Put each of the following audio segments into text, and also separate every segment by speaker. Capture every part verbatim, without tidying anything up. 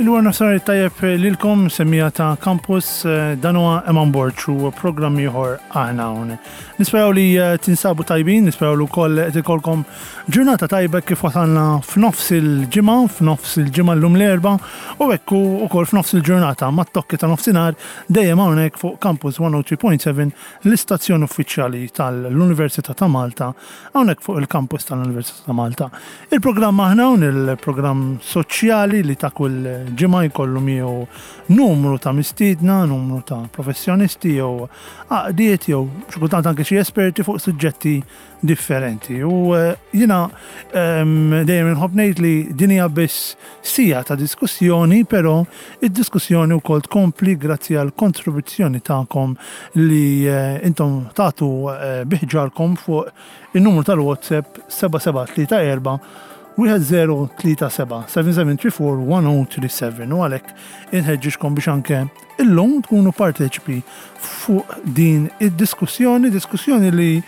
Speaker 1: Il-wara nofsinhar tajjeb lilkom, semmiegħa ta' Campus, eh, dan huwa Eman Borg u programm ieħor Aħna Hawn. Nisperaw li eh, tinsabu tajbin, nisperaw li wkoll qed ikolkom ġurnata tajba kif wasalna f'nofs il-ġimgħa, f'nofs il-ġimgħa llum l-Erbgħa u hekk ukoll f'nofs il-ġurnata mat-tokki ta' nofsinhar dejjem hawnhekk fuq Campus mija u tlieta punt seba', l-istazzjon uffiċjali tal-Università ta' Malta, hawnhekk fuq il-campus tal-Università ta' Malta. Il-programm Aħna Hawn, il-programm soċjali li ta' kull ġimgħa jkollu miegħu numru ta' mistiedna, numru ta' professjonisti jew għaqdiet jew xi kultant anke xi esperti fuq suġġetti differenti. U eh, jiena ehm, dejjem inħobb ngħid li din hija biss siegħa ta' diskussjoni, però id-diskussjoni wkoll tkompli grazzi għal kontribuzzjoni tagħkom li eh, intom tagħtu eh, bi ħġarkom fuq il-numru tal-WhatsApp seba' seba' tlieta erba' wieħed żero tlieta seba' seba' seba' tlieta erba' wieħed żero tlieta seba, u għalhekk inħeġġiġkom biex anke illum tkunu parteċipi fuq din id-diskussjoni, diskussjoni li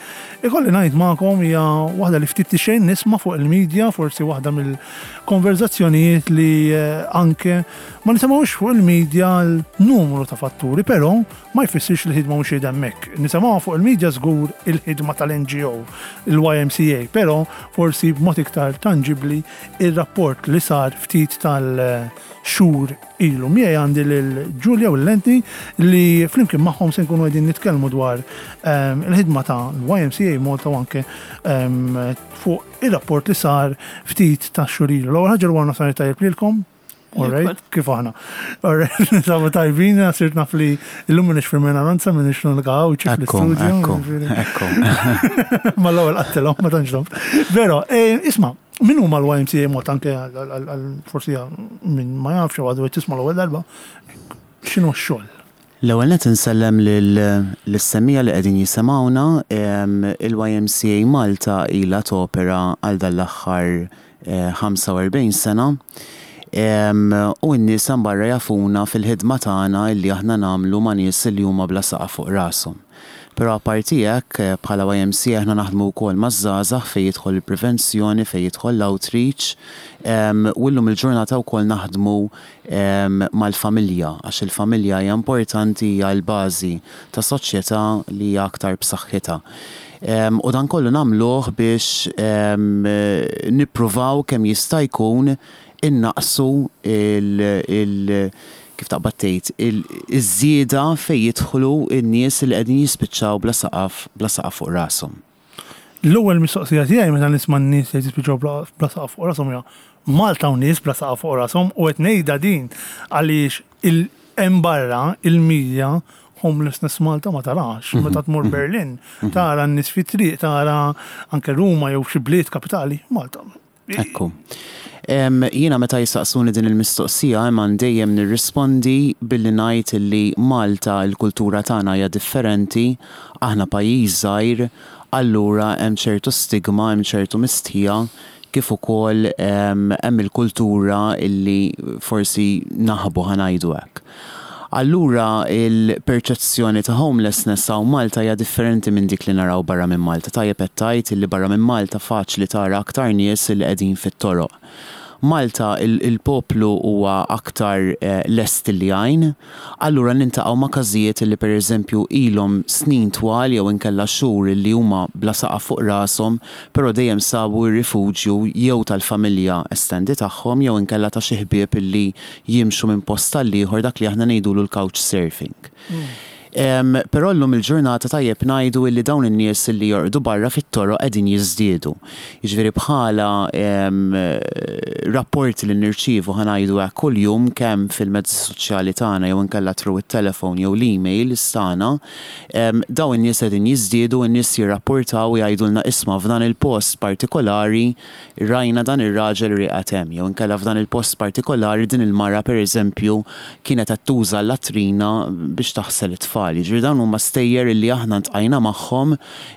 Speaker 1: ikolli ngħid magħkom hija waħda li ftit xejn nisma' fuq il-medja, forsi waħda mill-konverzazzjonijiet li eh, anke ma nisimgħux fuq il-medja l-numru ta' fatturi, però ma jfissirx li ħidma mhux hemmhekk. Nisimgħuha fuq il-medja żgur il-ħidma tal-N G O, il-Y M C A, però forsi b'mod iktar tangibli il-rapport li sar ftit tal-xhur ilu. Miegħi għandi lil Giulia u l-Lenti li flimkien magħhom se nkunu qegħdin nitkellmu dwar ehm, il-ħidma ta' Y M C A Malta u anke ehm, fuq il-rapport li sar ftit ta' xhur ilu. L-ewwel ħaġa, l nofsinhar tajjeb lilkom. Alright, kif aħna? Alright, ninsabu tajbin, sirt naf li illum minix fil-minoranza, minix l-unika Għawdxi
Speaker 2: Ekku,
Speaker 1: fl-studio.
Speaker 2: ekku,
Speaker 1: Ġifieri.
Speaker 2: ekku.
Speaker 1: Ma l-ewwel qattilhom, ma tantx domt. Vero, eh, isma', min huma l-Y M C A Malta, anke għal- għal- għal- forsi min ma jafx u għadu qed tisma' l-ewwel darba, x'inhu x-xogħol?
Speaker 2: L-ewwel net insellem lis-semmiegħa li qegħdin jisimgħuna. em, il-Y M C A Malta ilha topera għal dal-aħħar eh, ħamsa u erbgħin sena. Em, U n-nies hemm barra jafuna fil-ħidma tagħna illi aħna nagħmlu ma' nies li huma bla saqaf fuq rashom. Però apparti hekk, eh, bħala Y M C A aħna naħdmu wkoll maż-żgħażagħ fejn jidħol il-prevenzjoni, fejn jidħol l-outreach, em, u llum il-ġurnata wkoll naħdmu em, mal-familja, għax il-familja hija importanti, hija l-bażi ta' soċjetà li hija aktar b'saħħitha. Em, U dan kollu nagħmluh biex em, nippruvaw kemm jista' jkun innaqsu il, il kif taqbad tgħid, il- iż-żieda fejn jidħlu n-nies li qegħdin jispiċċaw bla saqaf bla saqaf fuq rashom.
Speaker 1: L-ewwel mistoqsija tiegħi meta nisma' n-nies li jispiċċaw bla bla saqaf fuq rashom hija: Malta u nies bla saqaf fuq rashom? U qed ngħidha din għaliex il hemm barra il-medja homelessness Malta ma tarax. Meta tmur Berlin, tara n-nies fit-triq, tara anke Ruma jew xi bliet kapitali, Malta.
Speaker 2: Ekku. Em, Jiena meta jistaqsuni din il-mistoqsija, imma dejjem nirrispondi billi ngħid li Malta il-kultura tagħna hija differenti, aħna pajjiż żgħir, allura hemm ċertu stigma, hemm ċertu mistħija, kif ukoll em, hemm il-kultura illi forsi naħbu, ħa ngħidu hekk. Allura il-perċezzjoni ta' homelessness hawn Malta hija differenti minn dik li naraw barra minn Malta. Tajjeb qed tgħid illi barra minn Malta faċli tara aktar nies li qegħdin fit-toroq. Malta il- il-poplu huwa aktar eh, lest li jgħin, allura niltaqgħu ma' każijiet li pereżempju ilhom snin twal jew inkella xhur li huma bla saqaf fuq rashom, però dejjem sabu r-rifuġju jew tal-familja estendi tagħhom jew inkella ta' xi ħbieb illi jimxu minn post għal ieħor, dak li aħna ngħidulu l-couch surfing. Em, Però llum il-ġurnata tajjeb ngħidu illi dawn in-nies li jorqdu barra fit-toroq qegħdin jiżdiedu. Jiġifieri bħala em, rapporti li nirċievu, ħa ngħidu hekk, kuljum kemm fil-mezzi soċjali tagħna jew inkella through it-telefon jew l-email tagħna, em, dawn in-nies qegħdin jiżdiedu, in-nies jirrapportaw u jgħidulna: "Isma', f'dan il-post partikolari rajna dan ir-raġel rieqed hemm", jew inkella "f'dan il-post partikolari din il-mara pereżempju kienet qed tuża l-latrina biex taħsel it-tfal." tfal. Jiġifieri dawn huma stejjer li aħna ltqajna magħhom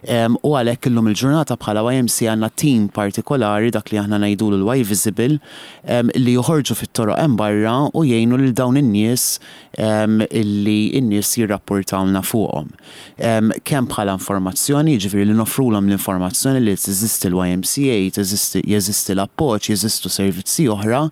Speaker 2: em, u għalhekk illum il-ġurnata bħala Y M C A għandna team partikolari, dak li aħna ngħidulu l-Y Visible, em, li joħorġu fit-toroq hemm barra u jgħinu lil dawn in-nies em, illi n-nies jirrapportawna fuqhom. Em, Kemm bħala informazzjoni, jiġifieri li noffrulhom l-informazzjoni li teżisti l-Y M C A, teżisti jeżisti l-appoġġ, jeżistu servizzi oħra,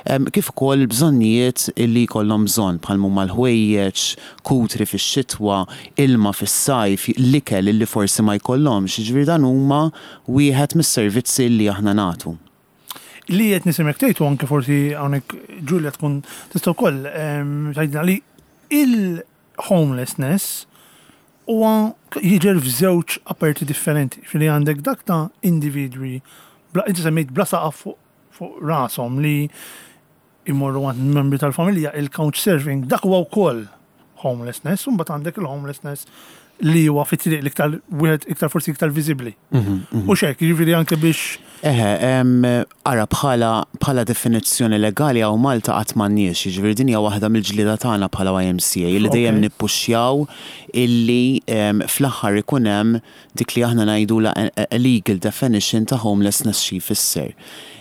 Speaker 2: em, kif ukoll bżonnijiet illi jkollhom bżonn bħal huma l-ħwejjeġ, kutri fix-xitwa, ilma fis-sajf, l-ikel illi forsi ma jkollhomx, jiġifieri dan huma wieħed mis-servizzi li aħna nagħtu.
Speaker 1: Li qed nisimek tgħid u anke forsi hawnhekk Julia tkun tista' wkoll ehm, tgħidilna li il-homelessness huwa jiġer f'żewġ aperti differenti. Fili għandek dak ta' individwi bla, inti semmejt, bla saqaf fuq fuq rashom li imorru għand membri tal-familja, il-couch surfing, dak huwa wkoll homelessness, u mbagħad għandek il-homelessness li huwa fit-triq, l-iktar wieħed iktar forsi iktar viżibbli. U xek, jiġifieri anke biex
Speaker 2: Eħe, em, ara, bħala, bħala definizzjoni legali hawn Malta qatt m'għandniex, jiġifieri din hija waħda mill-ġlieda tagħna bħala Y M C A li dejjem
Speaker 1: Ok.
Speaker 2: nippuxxjaw illi em, fl-aħħar ikun hemm dik li aħna ngħidula a a legal definition ta' homelessness, xi jfisser.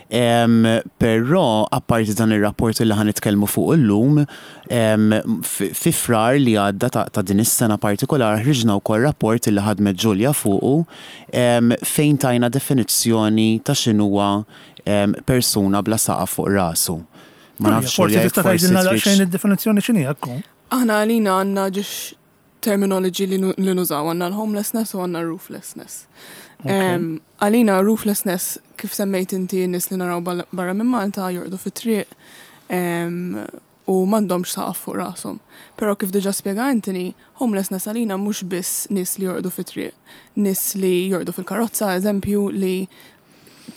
Speaker 2: Em, Però apparti dan ir-rapport li ħa nitkellmu fuq illum, em, fi fi Frar li għadda ta', ta' din is-sena partikolar ħriġna wkoll rapport li ħadmet Ġulja fuqu em, fejn tajna definizzjoni ta' x'inhuwa em, persuna bla saqaf fuq rasu. Ma nafx,
Speaker 1: forsi
Speaker 2: Ġulja,
Speaker 1: tista'
Speaker 2: jekk forsi
Speaker 1: tgħidilna
Speaker 2: tridx-
Speaker 1: daqsxejn id-definizzjoni x'inhi hekk.
Speaker 3: Aħna għalina għandna ġiex terminology li nu- li nużaw, għandna l-homelessness u għandna rooflessness. Em, Għalina rooflessness, kif semmejt inti, nies li naraw bal- barra minn Malta jorqdu fit-triq em, u m'għandhomx saqaf fuq rashom. Però kif diġa spjega Anthony, homelessness għalina mhux biss nies li jorqdu fit-triq, nies li jorqdu fil-karozza, eżempju, li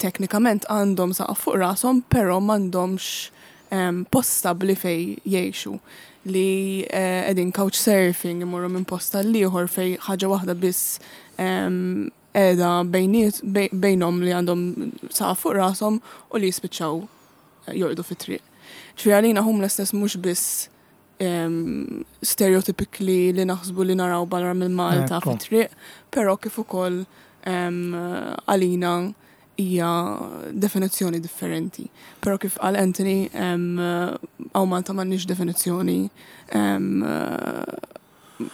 Speaker 3: teknikament għandhom saqaf fuq rashom, però m'għandhomx em, post stabli fej jgħixu, li eh, qegħdin couch surfing, imorru minn post għal ieħor fej ħaġa waħda biss em, qiegħda bejniet bej- bejnhom li għandhom saqaf fuq rashom u li jispiċċaw eh, jorqdu fit-triq. Ġifieri għalina homelessness mhux biss um, stereotypically li naħsbu li naraw barra minn Malta
Speaker 1: Ekku.
Speaker 3: fit-triq, però kif ukoll em, għalina hija definizzjoni differenti. Però kif qal Anthony, em, hawn Malta m'għandniex definizzjoni em,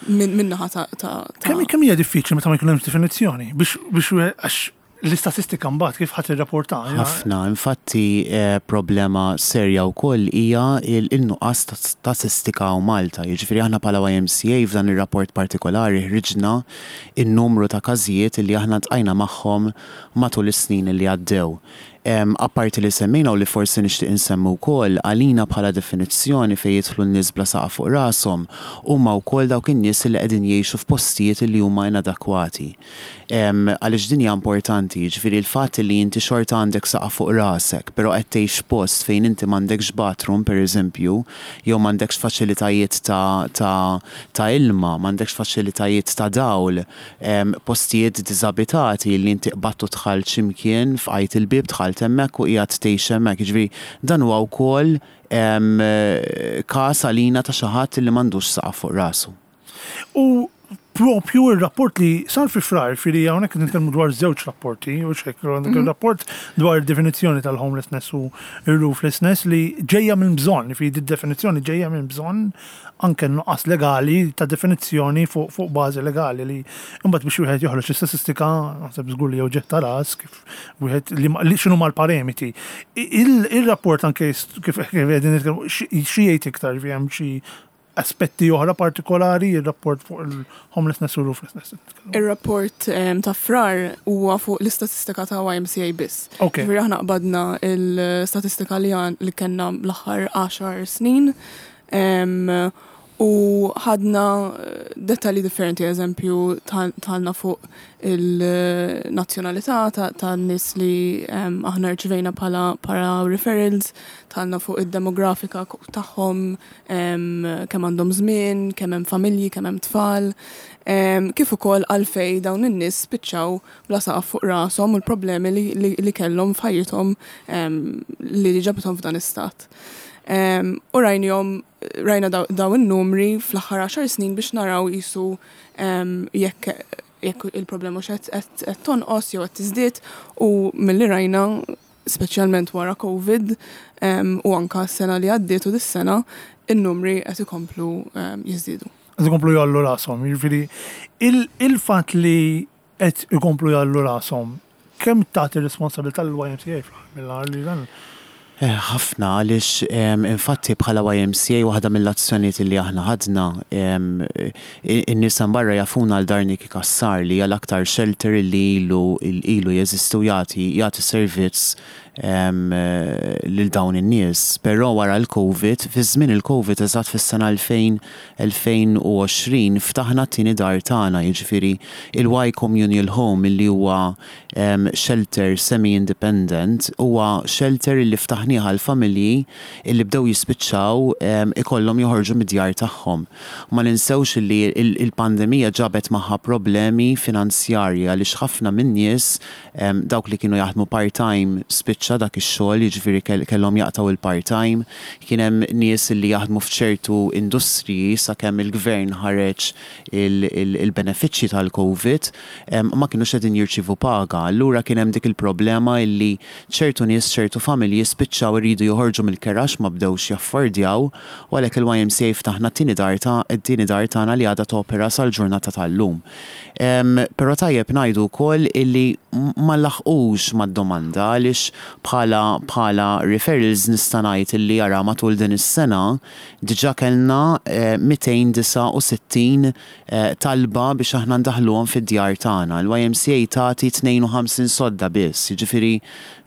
Speaker 3: minn min-naħa ta' ta' ta'
Speaker 1: Kemm kemm hija diffiċli meta ma jkun hemm definizzjoni biex biex wieħed- għax l-istatistika mbagħad kif ħadd irrapporta?
Speaker 2: Ħafna, infatti eh, problema serja wkoll hija il- il-nuqqas ta' statistika hawn Malta. Jiġifieri aħna bħala Y M C A f'dan ir-rapport partikolari ħriġna in-numru ta' każijiet li aħna ltqajna magħhom matul is-snin li għaddew. Em, Apparti li semmejna u li forsi nixtieq insemmu wkoll, għalina bħala definizzjoni fejn jidħlu n-nies bla saqaf fuq rashom huma wkoll dawk in-nies li qegħdin jgħixu f'postijiet li huma inadakwati. Em, Għaliex din hija importanti, jiġifieri l-fatt li inti xorta għandek saqaf fuq rasek, però qed tgħix post fejn inti m'għandekx bathroom, pereżempju, jew m'għandekx faċilitajiet ta', ta, ta' ilma, m'għandekx faċilitajiet ta' dawl, em, postijiet diżabitati li inti qbadt u dħalt x'imkien, fqajt il-bib, dħalt hemmhekk u qiegħed tgħix hemmhekk. Jiġifieri dan huwa wkoll em, każ għalina ta' xi ħadd li m'għandux saqaf fuq rasu.
Speaker 1: U propju il-rapport li sar fi Frar, fili hawnhekk nitkellmu dwar żewġ rapporti, u xek, għandek il-rapport dwar definizzjoni tal-homelessness u il-rooflessness li ġejja minn bżonn, fi di definizzjoni ġejja minn bżonn anke nuqqas legali ta' definizzjoni fuq fuq bażi legali li mbagħad biex wieħed joħroġ l-istatistika, naħseb żgur li jew ġetta ras kif wieħed li li x'inhu mal-parametri. Il- Il-rapport anke kif kif qegħdin nitkellmu, xi xi jgħid iktar, fi hemm xi aspetti oħra partikolari il-rapport fuq il-homelessness u rooflessness?
Speaker 3: Ir-rapport em, ta' Frar huwa fuq l-istatistika ta' Y M C A biss.
Speaker 1: Ok.
Speaker 3: Ġifieri aħna qbadna l-istatistika li għan li kellna l-aħħar għaxar snin em, u ħadna eh, dettalji differenti, eżempju, dħalna fuq il-nazzjonalità ta' ta' nies li em, aħna rċivejna bħala para referrals, dħalna fuq id-demografika tagħhom, em, kemm għandhom żmien, kemm hemm familji, kemm hemm tfal, em, kif ukoll għalfej dawn in-nies spiċċaw bla saqaf fuq rashom u l-problemi li, li, li kellhom f'ħajjithom em, li ġabithom f'dan istat. Em, U rajnihom rajna daw, daw in-numri fl-aħħar għaxar snin biex naraw jisu em, jekk jekk il-problema x'qed qed qed tonqos jew qed tiżdied u milli rajna speċjalment wara Covid em, u anka s-sena li għaddiet u dis-sena in-numri qed ikomplu em, jiżdiedu.
Speaker 1: Qed ikomplu jgħollu rashom, jiġifieri il- il-fatt li qed ikomplu jgħollu rashom, kemm tagħti responsabilità l-Y M C A fl-aħħar mill-aħħar li dan?
Speaker 2: Eh, ħafna għaliex em, infatti bħala Y M C A waħda mill-azzjonijiet li aħna ħadna, em, i- in-nies hemm barra jafuna għal Dar Nikki Cassar li hija l-aktar shelter li ilu ilu jeżistu, jagħti jagħti servizz em, eh, lil dawn in-nies. Però wara l-Covid, fi żmien il-Covid, eżatt fis-sena elfejn elfejn u għoxrin, ftaħna t-tieni dar tagħna, jiġifieri il-Y Communal Home, li huwa em, shelter semi-independent, huwa shelter li ftaħnieh għal familji illi bdew jispiċċaw em, ikollhom joħorġu mid-djar tagħhom. Ma ninsewx li il- il-pandemija ġabet magħha problemi finanzjarji għaliex ħafna min-nies em, dawk li kienu jaħdmu part-time spiċċa dak ix-xogħol, jiġifieri kell- kellhom jaqtgħu il-part-time, kien hemm nies li jaħdmu f'ċertu industriji, sakemm il-gvern ħareġ il-benefiċċji tal-Covid em, ma kienux qegħdin jirċievu paga. Allura kien hemm dik il-problema illi ċertu nies, ċertu familji spiċċaw iridu joħorġu mill-kera għax ma bdewx jaffordjaw, u għalhekk il-Y M C A ftaħna t-tieni dar ta' t-tieni dar tagħna li għadha topera sal-ġurnata tal-lum. Em, Però tajjeb ngħidu wkoll illi ma laħqux mad-domanda għaliex bħala bħala referrals nista' ngħid illi jara matul din is-sena diġà kellna eh, mitejn u disgħa u sittin eh, talba biex aħna ndaħluhom fid-djar tagħna. Il-Y M C A tagħti tnejn u ħamsin sodda biss, jiġifieri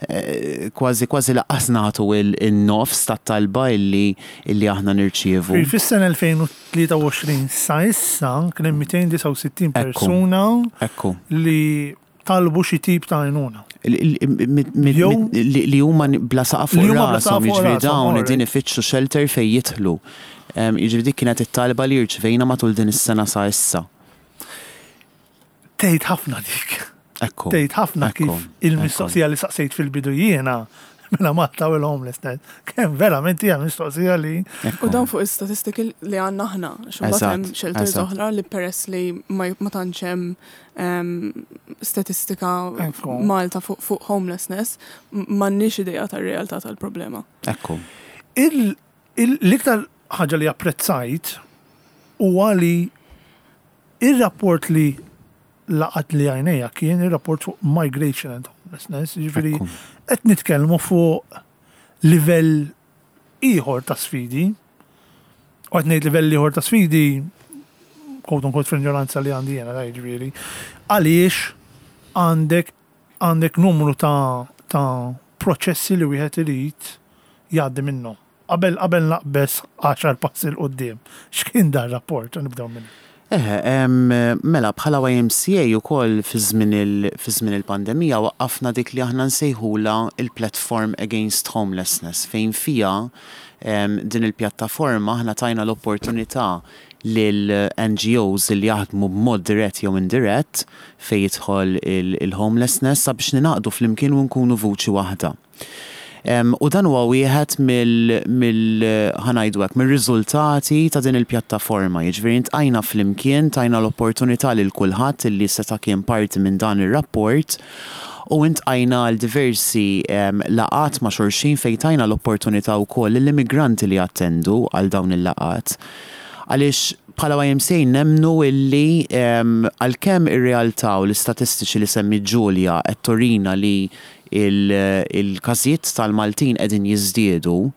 Speaker 2: eh, kważi kważi lanqas nagħtu il-nofs tat-talba illi illi aħna nirċievu.
Speaker 1: Fis-sena elfejn u tlieta u għoxrin sa issa kien hemm mitejn u disgħa u sittin
Speaker 2: Ekku.
Speaker 1: persuna
Speaker 2: Ekku.
Speaker 1: li talbu xi tip ta' għajnuna.
Speaker 2: Li li huma bla saqaf fuq
Speaker 1: Li huma bla
Speaker 2: rashom,
Speaker 1: saqaf fuq
Speaker 2: jiġifieri
Speaker 1: rashom,
Speaker 2: dawn
Speaker 1: alright.
Speaker 2: qegħdin ifittxu shelter fejn jidħlu. Em, Jiġifieri dik kienet it-talba li rċevejna matul din is-sena sa issa.
Speaker 1: Tgħid ħafna dik.
Speaker 2: Ekku.
Speaker 1: Tgħid ħafna
Speaker 2: Ekku,
Speaker 1: kif il-mistoqsija li saqsejt fil-bidu jiena mela Malta u l-homelessness. Kemm verament hija mistoqsija li
Speaker 2: Ekku.
Speaker 3: U dan fuq is-statistiki li għandna aħna, xumbat hemm
Speaker 2: Eżatt,
Speaker 3: shelters
Speaker 2: eżatt.
Speaker 3: oħra li peress li ma ma tantx hemm em, statistika
Speaker 1: Ekku.
Speaker 3: Malta fuq fuq homelessness, m- m'għandniex idea tar-realtà tal-problema.
Speaker 2: Ekku.
Speaker 1: il- il- l-iktar ħaġa li apprezzajt huwa li il-rapport li laqat li għajnejja kien il-rapport fuq migration and homelessness, jiġifieri
Speaker 2: Ekku.
Speaker 1: qed nitkellmu fuq livell ieħor ta' sfidi. U qed ngħid livell ieħor ta' sfidi quote unquote fl-ignoranza li għandi jiena, jiġifieri. Għaliex għandek għandek numru ta' ta' proċessi li wieħed irid jgħaddi minnhom. Qabel qabel naqbes għaxar passi 'l quddiem. X'kien dan rapport? Nibdew minn.
Speaker 2: Eh, em, mela bħala Y M C A ukoll fi żmien il- fi żmien il-pandemija waqqafna dik li aħna nsejħula il-Platform Against Homelessness, fejn fija em, din il-pjattaforma aħna tajna l-opportunità lil N G Os li jaħdmu b'mod dirett jew indirett fejn jidħol il- il-homelessness sabiex ningħaqdu flimkien u nkunu vuċi waħda. Em, u dan huwa wieħed mill mill ħa ngħidu hekk mir-riżultati ta' din il-pjattaforma. Jiġifieri iltqajna flimkien, tajna l-opportunità lil kulħadd illi seta' kien parti minn dan ir-rapport u iltqajna għal diversi em, laqgħat ma' xulxin fejn tajna l-opportunità wkoll lill-immigranti li attendu għal dawn il-laqgħat. Għaliex bħala Y M C A nemnu illi em, għalkemm ir-realtà u l-istatistiċi li semmi Giulia qed turina li il- il-każijiet tal-Maltin qegħdin jiżdiedu,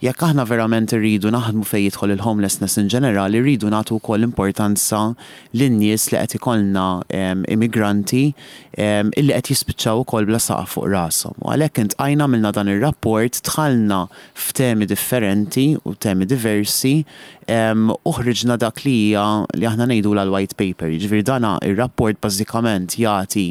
Speaker 2: jekk aħna verament irridu naħdmu fejn jidħol il-homelessness in ġenerali, irridu nagħtu wkoll importanza lin-nies li qed ikollna em, immigranti em, illi qed jispiċċaw ukoll bla saqaf fuq rashom. U għalhekk iltqajna, għamilna dan ir-rapport, dħalna f'temi differenti u temi diversi em, u ħriġna dak li hija li aħna ngħidu l-white paper. Jiġifieri dana ir-rapport bażikament jagħti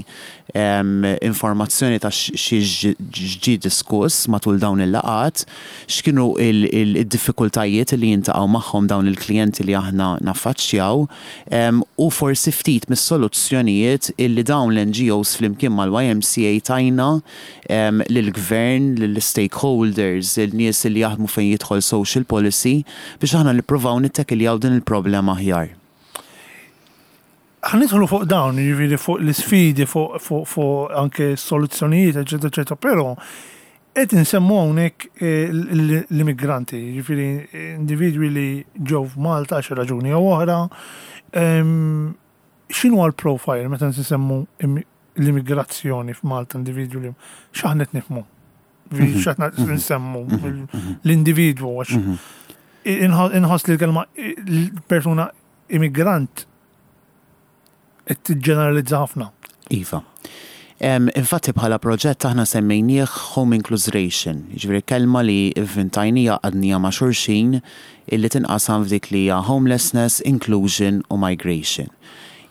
Speaker 2: em, informazzjoni ta' xi ġie diskuss matul dawn il-laqgħat, x'kienu fuq il-diffikultajiet li jiltaqgħu magħhom dawn il-klijenti li aħna naffaċċjaw u forsi ftit mis-soluzzjonijiet illi dawn l-N G Os flimkien mal-Y M C A tajna lill-gvern, lill-stakeholders, il-nies li jaħdmu fejn jidħol social policy biex aħna nippruvaw nittekiljaw din il-problema aħjar.
Speaker 1: Ħa nidħlu fuq dawn, jiġifieri fuq l-isfidi, fuq fuq fuq anke soluzzjonijiet, eċetera, eċetera, però qed insemmu hawnhekk eh, l-immigranti, jiġifieri individwi li ġew f'Malta għal raġuni jew oħra. X'inhu l-profile meta nsemmu l-immigrazzjoni f'Malta, individwi li x'aħna qed nifhmu? Mhm. X'aħna mhm. nsemmu mhm. l-individwu, għax inħoss li l-kelma persuna immigrant qed tiġġeneralizza ħafna.
Speaker 2: Iva. Infatti bħala proġett aħna semmejnieh Home Incluseration, jiġifieri kelma li ivvintajnija, għaqqadnija ma' xulxin, illi tinqasam f'dik li hija homelessness, inclusion u migration.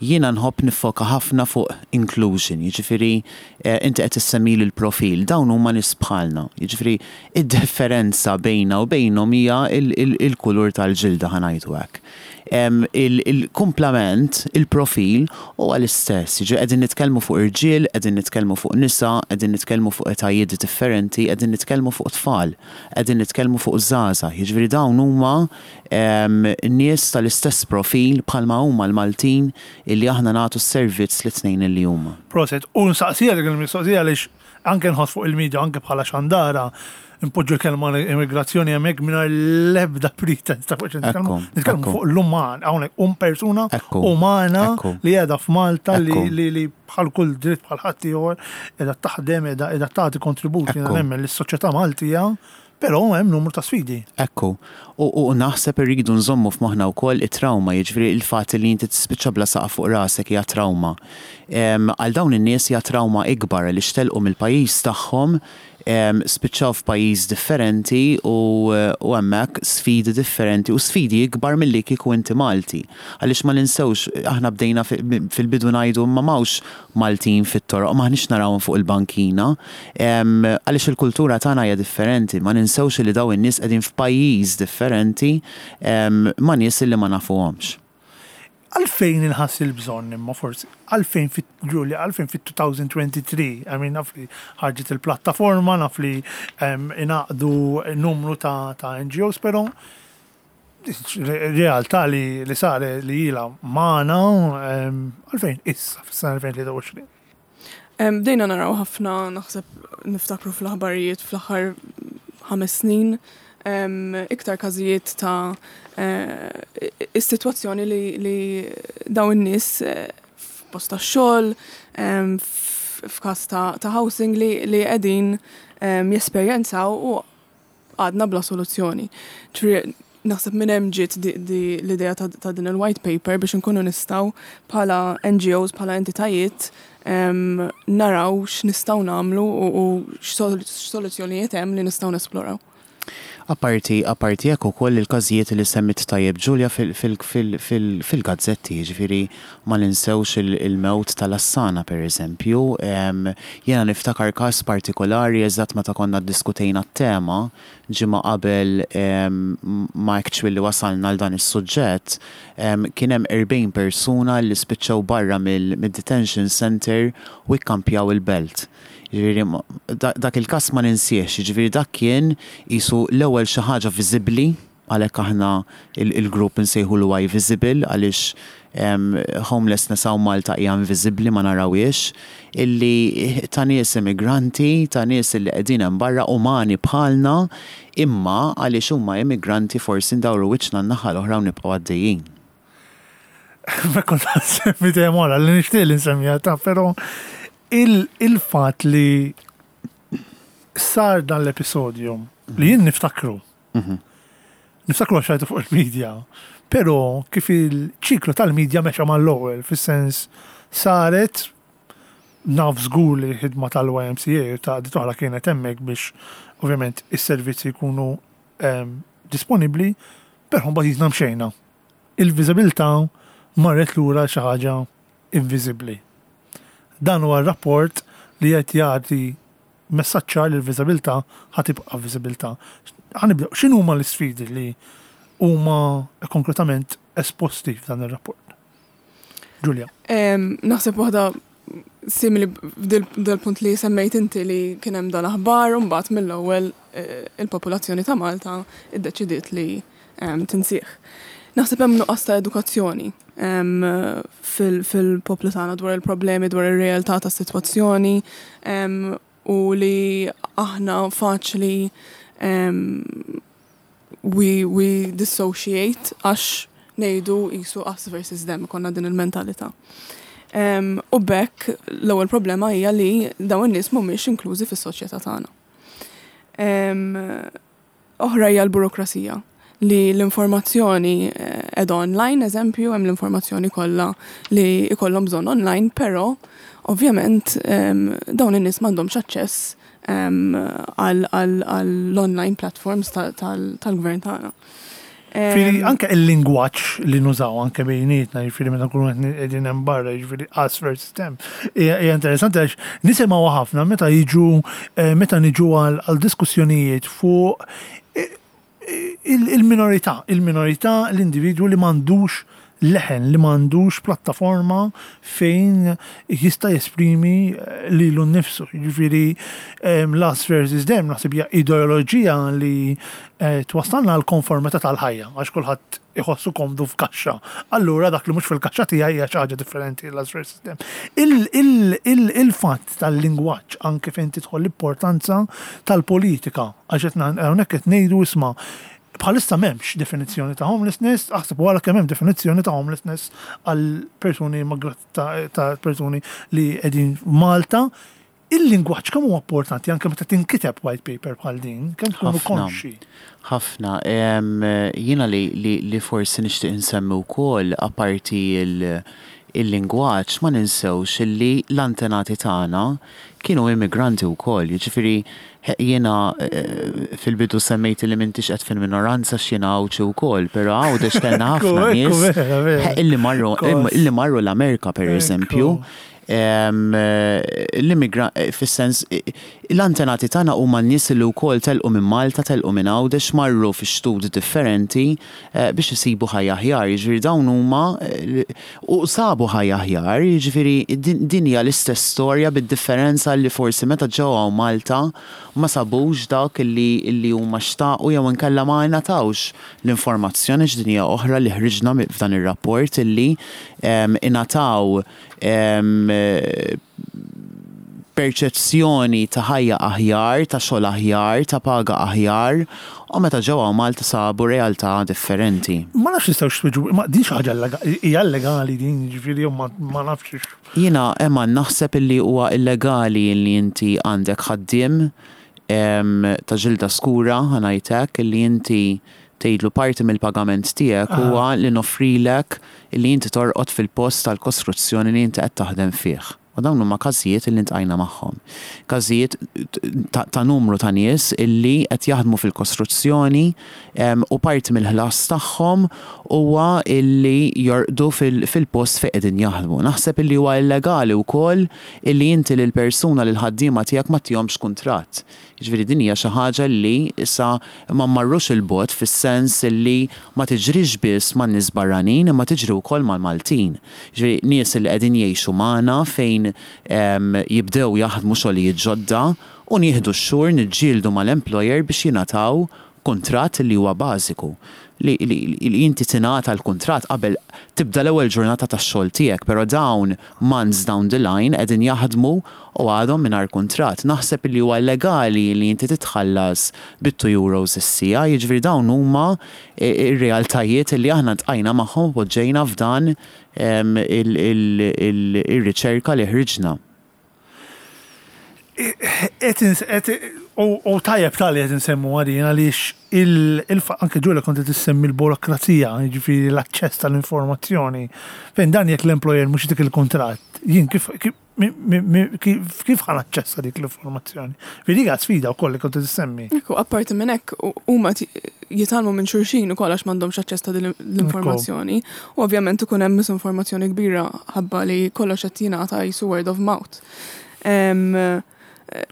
Speaker 2: Jiena nħobb niffoka ħafna fuq inclusion, jiġifieri eh, inti qed issemmi l-profil, dawn huma nies bħalna. Jiġifieri id-differenza bejna u bejnhom hija il-kulur tal-ġilda, ħa ngħidu hekk. Il-kumplament, il-profil huwa l-istess. Jiġifieri qegħdin nitkellmu fuq irġiel, qegħdin nitkellmu fuq nisa, qegħdin nitkellmu fuq etajiet differenti, qegħdin nitkellmu fuq tfal, qegħdin nitkellmu fuq żgħażagħ. Jiġifieri dawn huma nies tal-istess profil bħalma huma l-Maltin illi aħna nagħtu s-servizz lit-tnejn illi huma.
Speaker 1: Proset, u nsaqsija dik il-mistoqsija għaliex anke nħoss fuq il-media, anke bħala xandara, impoġġu l-kelma immigrazzjoni hemmhekk mingħajr l-ebda pretense ta' fuq nitkellmu. Nitkellmu fuq l-uman, hawnhekk um persuna umana li qiegħda f'Malta li li bħal kull dritt bħal ħadd ieħor qiegħda taħdem, qiegħda tagħti kontribut, jiena nemmen, lis-soċjetà Maltija, però hemm numru ta' sfidi.
Speaker 2: Ekku, u, u naħseb irridu nżommu f'moħħna wkoll it-trauma, jiġifieri il-fatt li inti tispiċċa bla saqaf fuq rasek hija trauma. Għal dawn in-nies hija trauma ikbar li telqu mill-pajjiż tagħhom, spiċċaw f'pajjiż differenti u, u hemmhekk sfidi differenti u sfidi ikbar milli kieku inti Malti. Għaliex ma ninsewx, aħna bdejna fil-bidu ngħidu ma m'hawnx Maltin fit-toroq, m'aħniex narawhom fuq il-bankina, għaliex il-kultura tagħna hija differenti, ma ninsewx li dawn in-nies qegħdin f'pajjiż differenti ma' nies li ma nafuhomx.
Speaker 1: Għalfejn inħass il-bżonn imma forsi, għalfejn fit Julia, għalfejn fit-elfejn u tlieta u għoxrin, I mean, naf li ħarġet il-plattaforma, naf li ingħaqdu numru ta', ta' N G Os, pero realtà li, li sare li ila magħna, għalfejn issa, fis-sena elfejn u tlieta u għoxrin?
Speaker 3: Bdejna naraw ħafna, naħseb niftakru fl-aħbarijiet fl-aħħar ħames snin, iktar każijiet ta' eh, is-sitwazzjoni li, li dawn in-nies eh, f'post ta' xogħol, f'każ ta', ta' housing li, li qegħdin jesperjenzaw u għadna bla soluzzjoni. Naħseb minn hemm ġiet l-idea ta', ta' din il-white paper biex nkunu nistgħu bħala N G Os, bħala entitajiet naraw x'nistgħu nagħmlu u, u x'soluzzjonijiet hemm li nistgħu nesploraw.
Speaker 2: Apparti, apparti hekk ukoll il-każijiet li semmit tajjeb Ġulja fil-gazzetti, ġifieri ma ninsewx il-mewt tal-Assana, per eżempju. Jena niftakar każ partikolari eżatt meta konna ddiskutejna t-tema ġimgħa qabel ma actually wasalna għal dan is-suġġett, kien hemm erbgħin persuna li spiċċaw barra mill-detention center u ikkampjaw il-Belt. Ġifieri, dak il-kas ma ninsiex, ġifieri dak kien qisu l-ewwel xi ħaġa viżibbli, għalhekk aħna il-grupp nsejħu l Visible, għaliex homelessness hawn Malta hija inviżibbli, ma narawiex, illi ta' nies immigranti, ta' nies illi qegħdin hemm barra, umani bħalna, imma għaliex huma immigranti forsi ndawru wiċċna n-naħa l-oħra u nibqgħu għaddejjin.
Speaker 1: Ma kont semmi tema li nixtieq li nsemmiha ta', però il-fat li sar dan l-episodju li jien niftakru. Mhm. Niftakru għax rajtu fuq il-medja, pero kif il-ċiklu tal-medja mexa mal-ewwel, fis-sens saret naf żgur li ħidma tal-Y M C A u ta' oħra kienet hemmhekk biex ovvjament is-servizzi jkunu um, disponibbli, però mbagħad jisna mxejna. Il-viżibilità marret lura xi ħaġa inviżibbli. Dan huwa rapport li qed jagħti messaġġ ċar li l-viżabilità ħa tibqa' viżabilità. Ħa nibdew, x'inhuma l-isfidi li huma konkretament esposti f'dan ir-rapport? Giulia.
Speaker 3: Naħseb waħda simili dal-punt li semmejt inti li kien hemm dal-aħbar u mbagħad mill-ewwel eh, il-popolazzjoni ta' Malta iddeċidiet li tinsih. Naħseb hemm nuqqas ta' edukazzjoni fil-poplu tagħna dwar il-problemi, dwar ir-realtà tas-sitwazzjoni u li aħna faċli we, we dissociate għax ngħidu qisu us versus them, konna din il-mentalità. Um, u b'hekk l-ewwel problema hija li dawn in-nies mhumiex inklużi fis-soċjetà tagħna. Um, oħra hija l-burokrasija li l-informazzjoni qiegħda online, eżempju, hemm l-informazzjoni kollha li ikollhom bżonn online, però ovvjament um, dawn in-nies m'għandhomx aċċess għall-online platforms tal-gvern tagħna.
Speaker 1: Ġifieri, anke il-lingwaġġ li nużaw anke bejnietna, jiġifieri meta nkunu qegħdin hemm barra, jiġifieri us versus them. Hija interessanti għax nisimgħu ħafna meta jiġu eh, meta niġu għal diskussjonijiet fuq eh, il-minorità, il-minorità, l-individwu li m'għandux leħen, li m'għandux plattaforma fejn jista' jesprimi eh, lilu nnifsu. Jiġifieri l-us versus them naħseb hija ideoloġija li eh, twassalna għal konformità tal-ħajja, għax kulħadd iħossu komdu f'kaxxa. Allura dak li mhux fil-kaxxa tiegħi hija xi ħaġa differenti, l-us versus them. Il-fatt tal-lingwaġġ, anke fejn tidħol l-importanza tal-politika, għax qed hawnhekk qed ngħidu, isma', bħalissa m'hemmx definizzjoni ta' homelessness, aħseb wara kemm hemm definizzjoni ta' homelessness għal persuni ta' persuni li qegħdin Malta. Il-lingwaġġ kemm huwa importanti anke meta tinkiteb white paper bħal din, kemm tkunu konxi?
Speaker 2: Ħafna. Jiena li, li, li forsi nixtieq insemmi wkoll, apparti il-lingwaġġ, ma ninsewx li l-antenati tagħna kienu immigranti wkoll. Jiġifieri jiena eh, fil-bidu semmejt li m'intix qed fil-minoranza x'jiena Għawdxi wkoll, però Għawdex kellna ħafna nies illi marru illi marru l-Amerika, per eżempju. L-immigra fis-sens l-antenati tagħna huma n-nies li wkoll telqu minn Malta, telqu minn Għawdex, marru fi xtut differenti eh, biex isibu ħajja aħjar. Jiġifieri dawn huma eh, u sabu ħajja aħjar, jiġifieri din hija l-istess storja bid-differenza li forsi meta ġew hawn Malta ma sabux dak illi illi huma xtaqu jew inkella ma ngħatawx l-informazzjoni. X'din hija oħra li ħriġna f'dan ir-rapport, illi ingħataw perċezzjoni ta' ħajja aħjar, ta' xogħol aħjar, ta' paga aħjar, u meta ġew Malta sabu realtà differenti.
Speaker 1: Ma nafx nistgħux twieġbu, ma din xi ħaġa hija illegali din, jiġifieri ma nafx.
Speaker 2: Jiena Emma naħseb illi huwa illegali li inti għandek ħaddiem ta' ġilda skura, ħa ngħidlek, illi inti tgħidlu parti mill-pagament tiegħek huwa li noffrilek li inti torqod fil-post tal-kostruzzjoni li inti qed taħdem fih. U dawn huma każijiet illi ltqajna magħhom. Każijiet ta', ta numru ta' nies illi qed jaħdmu fil-kostruzzjoni u parti mill-ħlas tagħhom huwa illi jorqdu fil-post fejn qegħdin jaħdmu. Naħseb illi huwa illegali wkoll illi inti lil persuna, lil ħaddiema tiegħek, ma ttihomx kuntratt. Jiġifieri din hija xi ħaġa li issa ma marrux il-bogħod fis-sens illi ma tiġrix biss man nies barranin imma tiġri wkoll mal-Maltin. Jiġifieri nies li qegħdin jgħixu magħna fejn jibdew jaħdmu xogħlijiet ġodda u nieħdu x-xhur niġġieldu mal-employer biex jingħataw kuntratt li huwa bażiku. Li, li, li inti tingħata l-kuntratt qabel tibda l-ewwel ġurnata tax-xogħol tiegħek, però dawn months down the line qegħdin jaħdmu u għadhom mingħajr kuntratt. Naħseb li huwa illegali li inti titħallas bit-two euros is-siegħa, jiġifieri dawn huma ir-realtajiet li aħna ltqajna magħhom u poġġejna f'dan il-riċerka li ħriġna.
Speaker 1: U tajjeb tal-li qed insemmu għadin għaliex anke Ġulja kont qed issemmi l-burokrazija, jiġifieri l-aċċess tal-informazzjoni. Fejn dan jekk l-employer mhux dik il-kuntratt, jien kif kif ħa naċċessa dik l-informazzjoni? Dik sfida wkoll li kont tissemmi.
Speaker 3: Ekku, apparti minn hekk huma jitgħallmu minn xulxin ukoll għax m'għandhomx aċċess ta' din l-informazzjoni. U ovvjament ikun hemm misinformazzjoni kbira ħabba li kollox qed jingħata qisu word of mouth.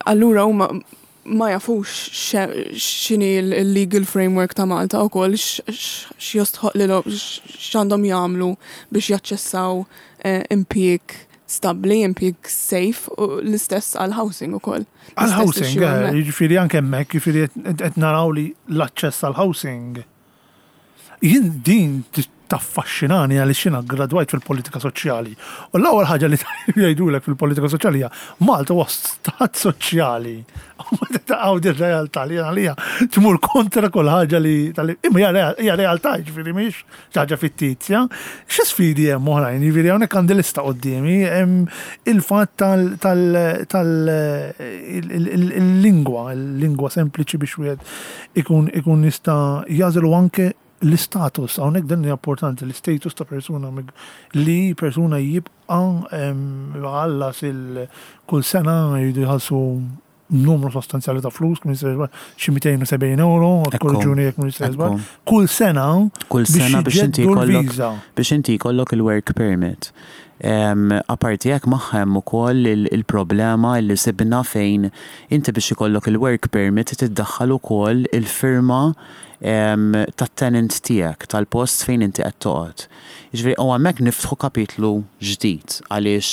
Speaker 3: Allura huma ma jafux x'inhi l-legal framework ta' Malta u koll x'jostħoq li x'għandhom jagħmlu biex jaċċessaw eh, impjieg stabbli, impjieg safe, u l-istess għal housing ukoll.
Speaker 1: Għal housing, eh, jiġifieri anke hemmhekk, jiġifieri qed naraw li l-aċċess għal housing. Jien din taffaxxinani għaliex jiena gradwajt fil-politika soċjali. U l-ewwel ħaġa li jgħidulek fil-politika soċjali hija Malta huwa stat soċjali. U ma taqgħu din realtà li għalija tmur kontra kull ħaġa li imma hija realtà, jiġifieri mhix ħaġa fittizja. Xi sfidi hemm oħrajn, jiġifieri hawnhekk għandi lista quddiemi, hemm il-fatt tal-lingwa, il-lingwa sempliċi biex wieħed ikun ikun jista' jagħżel anke l-istatus, hawnhekk dan hija importanti, l-istatus ta' persuna li persuna jibqa' għallas il kull sena jridu jħallsu numru sostanzjali ta' flus, xi mitejn u sebgħin euro, korreġuni jekk mhux kull sena.
Speaker 2: Kull sena biex inti jkollok biex inti jkollok il-work permit. Aparti hekk magħha hemm ukoll il-problema li sibna fejn inti biex ikollok il-work permit tiddaħħal ukoll il-firma tat-tenant tiegħek tal-post fejn inti qed toqgħod. Jiġifieri u hemmhekk niftħu kapitlu ġdid għaliex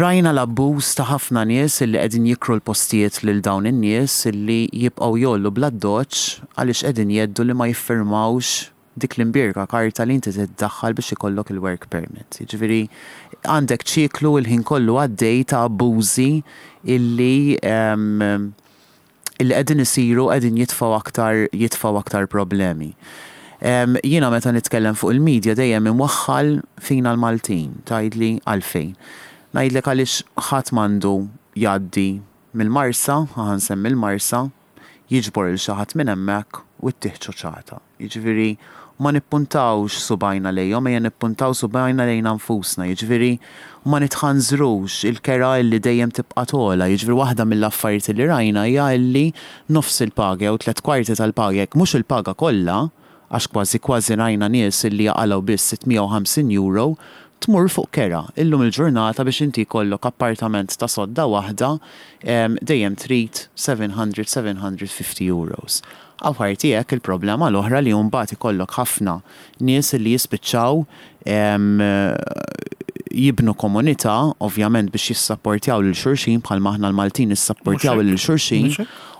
Speaker 2: rajna l-abbuż ta' ħafna nies illi qegħdin jikru l-postijiet lil dawn in-nies illi jibqgħu jgħollu bl-addoċċ għaliex qegħdin jgħeddu li ma jiffirmawx dik l-imbierka karta li inti tiddaħħal biex ikollok il-work permit. Jiġifieri għandek ċiklu il-ħin kollu għaddej ta' abbużi illi illi qegħdin isiru, qegħdin jitfgħu aktar jitfgħu aktar problemi. Jiena meta nitkellem fuq il-medja dejjem imwaħħal fina l-Maltin, tgħidli għalfejn. Ngħidlek għaliex ħadd m'għandu jgħaddi mill-Marsa, ħa nsemmi l-Marsa, jiġbor lil xi ħadd minn hemmhekk u ttih ċuċata. Jiġifieri ma nippuntawx subgħajna lejhom, ejja nippuntaw subgħajna lejna nfusna, jiġifieri ma nitħanżrux il-kera illi dejjem tibqa' togħla, jiġifieri waħda mill-affarijiet li rajna hija illi nofs il-paga jew tliet kwarti tal-paga, jekk mhux il-paga kollha, għax kważi kważi rajna nies illi jaqalgħu biss sitt mija u ħamsin euro, tmur fuq kera. Illum il-ġurnata biex inti jkollok appartament ta' sodda waħda dejjem trid seba' mija, seba' mija u ħamsin euros. Apparti hekk il-problema l-oħra li mbagħad ikollok ħafna nies li jispiċċaw jibnu komunità, ovvjament biex jissapportjaw lil xulxin bħalma aħna l-Maltin nissapportjaw lil xulxin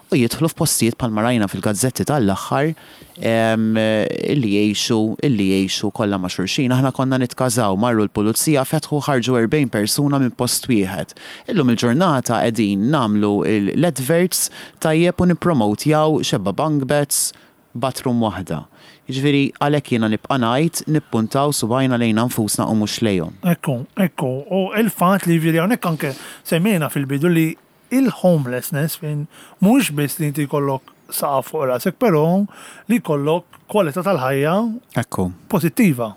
Speaker 2: u jidħlu f'postijiet bħalma rajna fil-gazzetti tal-aħħar illi jgħixu illi jgħixu kollha ma' xulxin. Aħna konna nitkażaw, marru l-pulizija, fetħu, ħarġu erbgħin persuna minn post wieħed. Illum il-ġurnata qegħdin nagħmlu l-adverts tajjeb u nippromotjaw xebgħa bunk beds, bathroom waħda. Jiġifieri għalhekk jiena nibqa' ngħid nippuntaw subgħajna lejna nfusna u mhux lejhom.
Speaker 1: Ekku, ekku, u il-fatt li jiġifieri hawnhekk anke semmejna fil-bidu li il-homelessness fejn mhux biss li inti jkollok saqaf fuq rasek, però li jkollok kwalità tal-ħajja
Speaker 2: Ekku.
Speaker 1: pozittiva.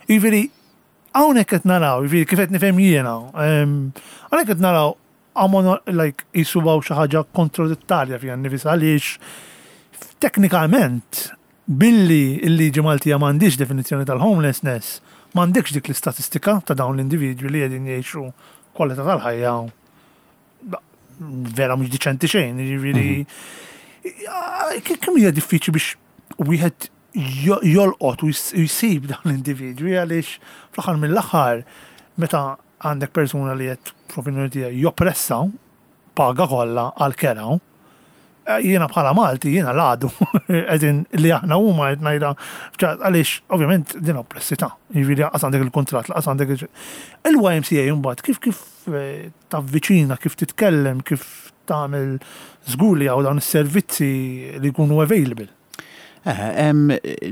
Speaker 1: Jiġifieri hawnhekk qed naraw, jiġifieri kif qed nifhem jiena, hawnhekk qed naraw għamon like jisubaw xi ħaġa kontradittarja fiha nnifisha għaliex teknikament billi il-liġi Maltija m'għandix definizzjoni tal-homelessness, m'għandekx dik l-istatistika ta' dawn l-individwi li qegħdin jgħixu kwalità tal-ħajja vera mhux diċenti xejn, jiġifieri kemm hija diffiċli biex wieħed jolqot u jsib dawn l-individwi għaliex fl-aħħar mill-aħħar meta għandek persuna li qed fl-opinjoni tiegħi joppressa paga kollha għal kera, jiena bħala Malti, jiena l-għadu, qegħdin li aħna huma qed ngħidha għaliex ovvjament din oppressità. Jiġifieri qas għandek il-kuntratt, qas għandek il-Y M C A mbagħad kif kif tavviċina, kif titkellem, kif tagħmel żgur li hawn dawn is-servizzi li jkunu available.
Speaker 2: Eh,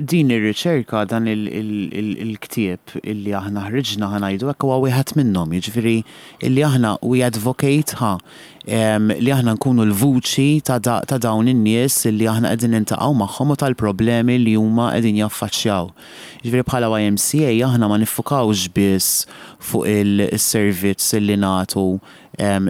Speaker 2: din ir-riċerka, dan il-ktieb illi aħna ħriġna, ħa ngħidu hekk, huwa wieħed minnhom, jiġifieri illi aħna we advocate ħa li aħna nkunu l-vuċi ta' dawn in-nies illi aħna qegħdin niltaqgħu magħhom u tal-problemi li huma qegħdin jaffaċċjaw. Jiġifieri bħala Y M C A aħna ma niffukawx biss fuq il-servizz illi nagħtu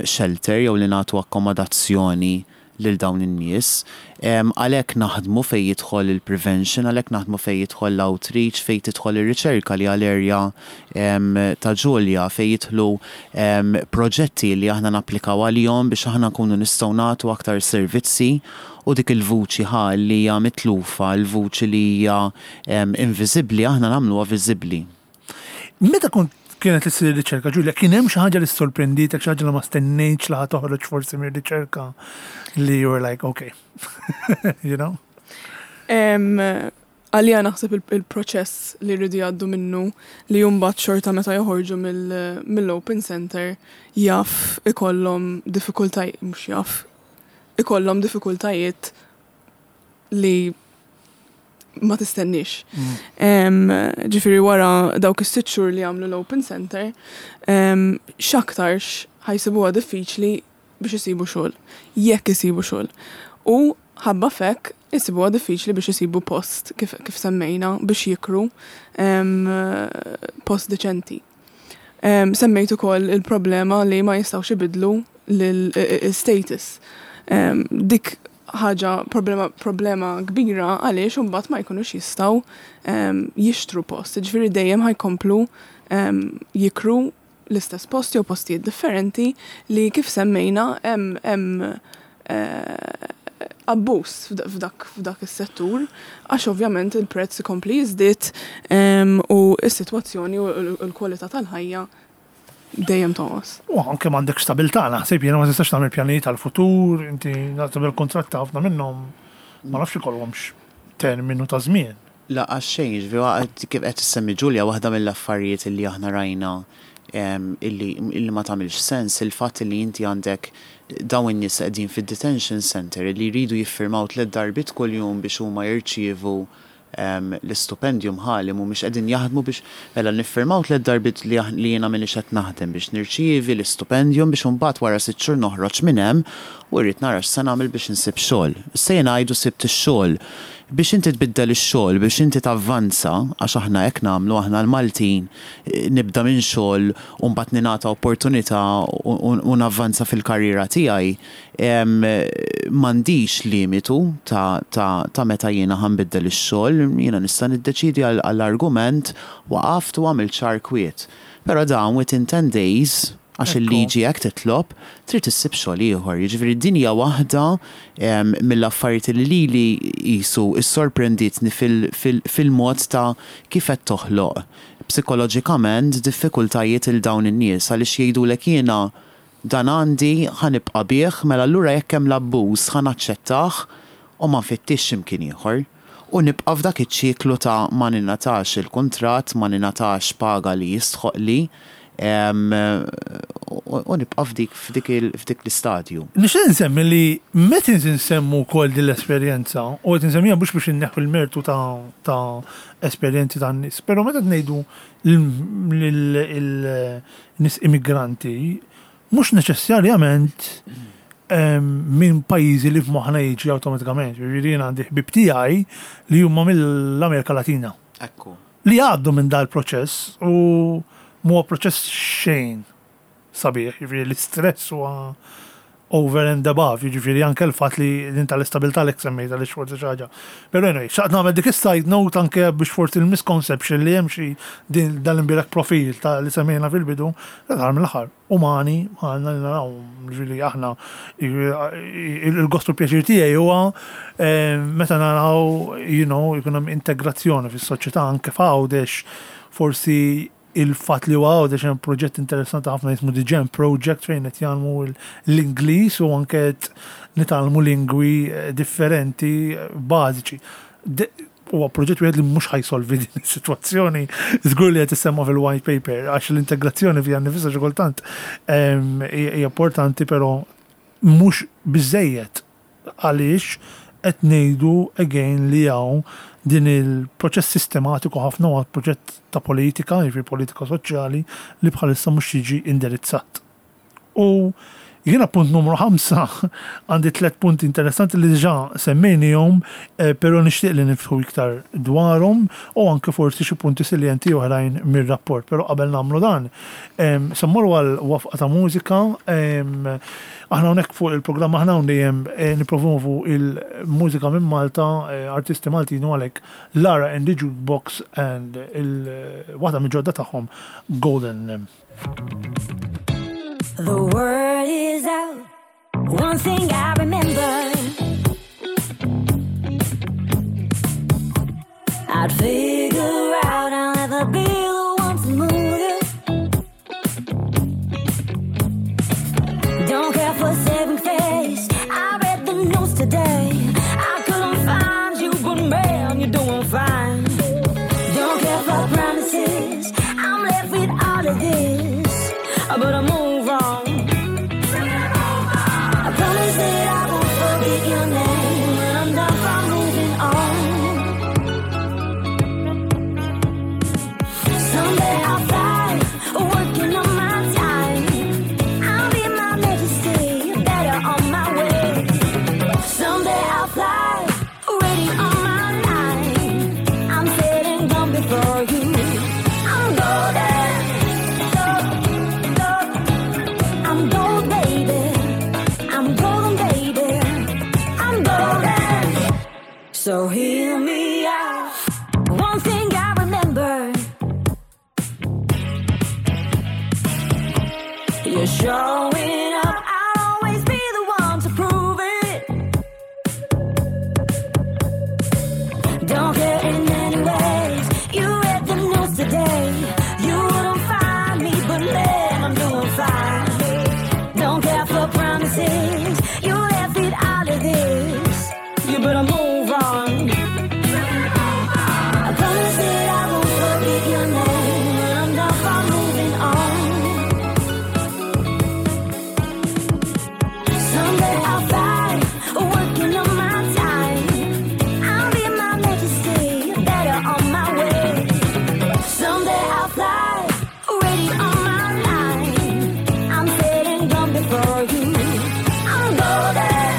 Speaker 2: shelter jew li nagħtu akkomodazzjoni lil dawn in-nies. Għalhekk naħdmu fejn jidħol il-prevention, għalhekk naħdmu fejn jidħol l-outreach, fejn tidħol ir-riċerka li għal-area ta' Ġulja, fejn jidħlu proġetti li aħna napplikaw għalihom biex aħna nkunu nistgħu nagħtu aktar servizzi u dik il-vuċi ħa li hija mitlufa, il-vuċi li hija inviżibbli, aħna nagħmluha viżibbli.
Speaker 1: Meta kont kienet issir riċerka, Ġulja, kien hemm xi ħaġa li sorprenditek, xi ħaġa li ma stennejtx li ħa toħroġ forsi mir-riċerka li you were like, okay, you know?
Speaker 3: Għalija naħseb il-proċess li rridu jgħaddu minnu li mbagħad xorta meta joħorġu mill-open center jaf ikollhom diffikultajiet, mhux jaf, ikollhom diffikultajiet li ma tistennix. Ġifieri wara dawk is-sitt xhur li għamlu l-open center, x'aktarx ħa jsibuha diffiċli biex isibu xogħol, jekk isibu xogħol. U ħabba f'hekk isibuha diffiċli biex isibu post kif, kif semmejna biex jikru post deċenti. Semmejt ukoll il-problema li ma jistgħux ibidlu l-status. Dik ħaġa problema, problema kbira għaliex imbagħad ma jkunux jistgħu jixtru post. Ġifieri dejjem ħa jkomplu jikru l-istess post jew postijiet differenti li kif semmejna hemm abbuż f'dak f'dak is-settur għax ovvjament il-prezz ikompli jiżdied u s-sitwazzjoni u l-kwalità tal-ħajja dejjem tonqos.
Speaker 1: U anke m'għandek stabilità, naħseb jiena ma tistax tagħmel pjanijiet għall-futur, inti naħseb il-kuntratt ħafna minnhom ma nafx ikollhomx terminu ta' żmien.
Speaker 2: La, għax xejn, ġifieri kif qed issemmi Ġulja, waħda mill-affarijiet illi aħna rajna illi, illi ma tagħmilx sens il-fatt li inti għandek dawn in-nies qegħdin fid-detention center li jridu jiffirmaw tliet darbiet kuljum biex huma jirċievu l-istipendium ħalli mhumiex qegħdin jaħdmu biex mela niffirmaw tliet darbiet li li jiena m'iniex qed naħdem biex nirċievi l-istipendium biex imbagħad wara sitt xhur noħroġ minn hemm u rrid nara x'se nagħmel biex insib xogħol. Issa jien ngħidu sibt ix-xogħol. Biex inti tbiddel ix-xogħol, biex inti tavvanza, għax aħna hekk nagħmlu aħna l-Maltin, nibda minn xogħol u mbagħad ningħata opportunità u navvanza fil-karriera tiegħi, m'għandix limitu ta', ta, ta' meta jiena ħa nbiddel ix-xogħol, jiena nista' niddeċidi għall-argument waqaft u għamilt xahar kwiet. Però dawn within ten days, għax il-liġi hekk titlob, trid issib xogħol ieħor. Jiġifieri din hija waħda mill-affarijiet li lili qisu issorprenditni fil-mod ta' kif qed toħloq psikoloġikament diffikultajiet il dawn in-nies għaliex jgħidulek jiena dan għandi ħa nibqa' bih, mela allura jekk hemm l-abbuż ħa naċċettah u ma nfittix x'imkien ieħor. U nibqa' f'dak iċ-ċiklu ta' ma ningħatax il-kuntratt, ma ningħatax paga li jistħoqli, u nibqa' f'dik f'dik l-istadju.
Speaker 1: Nixtieq nsemmi li meta nsemmu wkoll din l-esperjenza, u qed nsemmiha mhux biex inneħħu l-mertu ta' esperjenzi tan-nies, però meta ngħidu lin-nies immigranti, mhux neċessarjament minn pajjiżi li f'moħħna jiġi awtomatikament. Jiġifieri jien għandi ħbieb tiegħi li huma mill-Amerika Latina.
Speaker 2: Ekku.
Speaker 1: Li għaddu minn dal-proċess u mhuwa proċess xejn sabiħ, jiġifieri l-istress huwa over and above, jiġifieri anke l-fatt li din tal-istabilità li semmejta li forsi xi ħaġa. Però anyway, xtaqt nagħmel dik is-side note anke biex forsi il-misconception li hemm xi din dal-imbierek profil ta' li semmejna fil-bidu, dar mill-aħħar umani għandna li naraw, ġifieri aħna il-gost u pjaċir tiegħi huwa meta naraw, you know, jkun hemm integrazzjoni fis-soċjetà anke f'Għawdex, forsi il-fatt li huwa Għawdex hemm proġett interessanti ħafna jismu The Jam Project fejn qed jgħallmu l-Ingliż u anke qed nitgħallmu lingwi differenti bażiċi. Huwa proġett wieħed li mhux ħa jsolvi din is-sitwazzjoni, żgur li qed issemma fil-white paper għax l-integrazzjoni fiha nnifisha xi kultant hija importanti, però mhux biżejjed għaliex qed ngħidu again li hawn din il-proċess sistematiku ħafna huwa proġett ta' politika, jiġifieri politika soċjali li bħalissa mhux jiġi indirizzat. U Jiena punt numru ħamsa għandi tliet punti interessanti li diġà semmejnihom, eh, però nixtieq li niftħu iktar dwarhom u anke forsi xi punti salienti oħrajn mir-rapport. Però qabel nagħmlu dan, em, se mmorru għal waqfa ta' mużika, em, aħna hawnhekk fuq il-programm aħna hawn dejjem eh, nippromovu il-mużika minn Malta, eh, artisti Maltin u għalhekk Lara and the Jukebox and il-waħda mill-ġodda tagħhom Golden.
Speaker 4: The word is out. One thing I remember. I'd figure out I'll never be the one to move you. Don't care for saving face. I read the news today. I couldn't find you, but man, you're doing fine. Don't care for promises. I'm left with all of this. But I move on. I promise that I won't forget your name when I'm done from moving on. Someday I'll fly, working on my time. I'll be my majesty, better on my way. Someday I'll fly, ready on my line. I'm sitting gone before you. I'm golden, gold, gold. I'm gold, baby. I'm golden, baby. I'm golden. So hear me out. One thing I remember. You're showing up. I'll always be the one to prove it. Don't care in any ways. You read the news today. You wouldn't find me, but man, I'm doing fine. Don't care for promises. You left with all of this. You better move on. I promise that I won't forget your name when I'm done from moving on. Someday I'll fly, working on my time. I'll be my majesty, better on my way. Someday I'll fly, ready on my line. I'm sitting gone before you. I'm golden.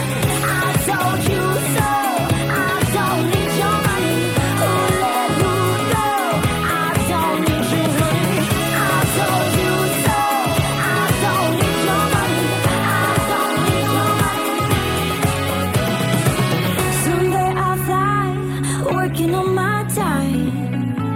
Speaker 4: I told you so. I don't need your money. Who let who go? I don't need you, honey. I told you so. I don't need your money. I don't need your money. Someday I'll fly, working on my time.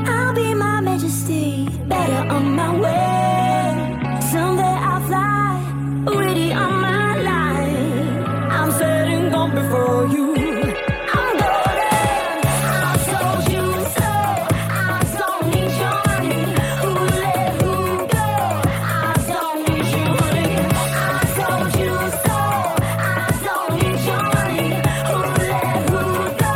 Speaker 4: I'll be my majesty, better on my way. Someday I'll fly, ready on my line. I'm setting gone before you. I'm golden. I told you so. I don't need your money. Who let who go? I don't need you, honey. I told you so. I don't need your money. Who let who go?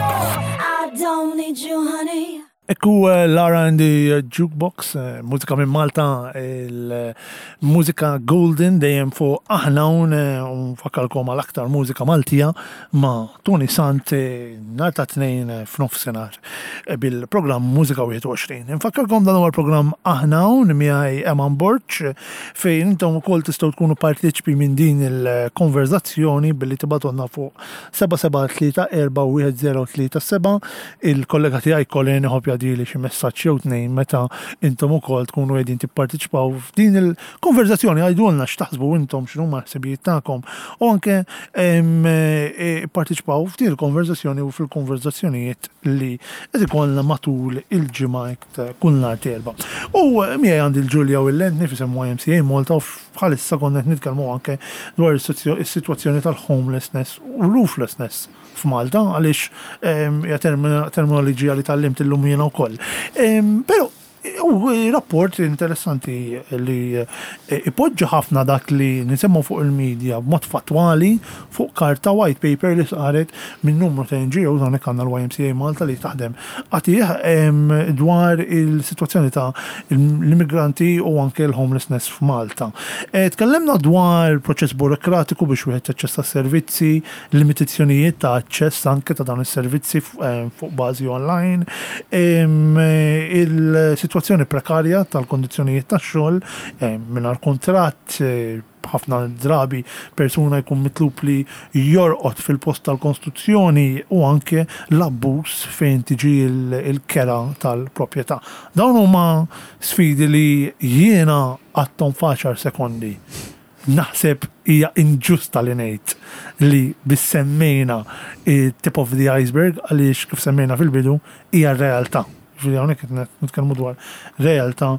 Speaker 4: I don't need you, honey.
Speaker 1: Ekku eh, Lara and the Jukebox, eh, mużika minn Malta, il-mużika Golden dejjem fuq aħna hawn, eh, u nfakkarkom għal aktar mużika Maltija ma' Tony Sant eh, nhar ta' tnejn eh, f'nofsinhar eh, bil-programm Mużika wieħed u għoxrin. Nfakkarkom dan huwa l-programm aħna hawn miegħi Eman Borg, eh, fejn intom ukoll tistgħu tkunu partiċipi minn din il-konverzazzjoni billi tibgħatulna fuq seba' seba' tlieta erba' wieħed zero tlieta seba'. Il-kollega tiegħi Colin iħobb jgħaddili xi messaġġ jew tnejn meta intom ukoll tkunu qegħdin tipparteċipaw f'din il-konverzazzjoni. Għidulna x'taħsbu intom, x'inhuma l-ħsibijiet tagħkom u anke em, eh, parteċipaw f'din il-konverzazzjoni u fil-konverzazzjonijiet li qed ikollna matul il-ġimgħa kull nhar t'Erbgħa. U eh, miegħi għandi l-Ġulja u l-Lentni f'isem Y M C A Malta u bħalissa konna qed nitkellmu anke dwar is-sitwazzjoni tal-homelessness u rooflessness f'Malta għaliex em, hija termina- terminoloġija li tgħallimt illum jiena wkoll. Em, Però u rapport interessanti li eh, ipoġġi ħafna dak li nisemmu fuq il-medja b'mod fattwali fuq karta, white paper li saret minn numru ta' N G Os, hawnhekk għandna l-Y M C A Malta li taħdem għatih em, dwar il-sitwazzjoni ta' l-immigranti u anke l-homelessness f'Malta. Eh, Tkellimna dwar proċess burokratiku biex wieħed jaċċessa servizzi, limitazzjonijiet ta' aċċess anke ta' dawn is-servizzi f- eh, fuq bażi online, em, il-sitwazzjoni Is-sitwazzjoni prekarja tal-kondizzjonijiet tax-xogħol eh, mingħajr kuntratt, eh, ħafna drabi persuna jkun mitlub li jorqod fil-post tal-kostruzzjoni u anke l-abbuż fejn tiġi il-kera tal-proprjetà. Dawn huma sfidi li jiena għadthom f'għaxar sekondi. Naħseb hija inġusta li ngħid li biss semmejna tip of the iceberg, għaliex kif semmejna fil-bidu hija realtà. Ġifieri hawnhekk qed nitkellmu dwar realtà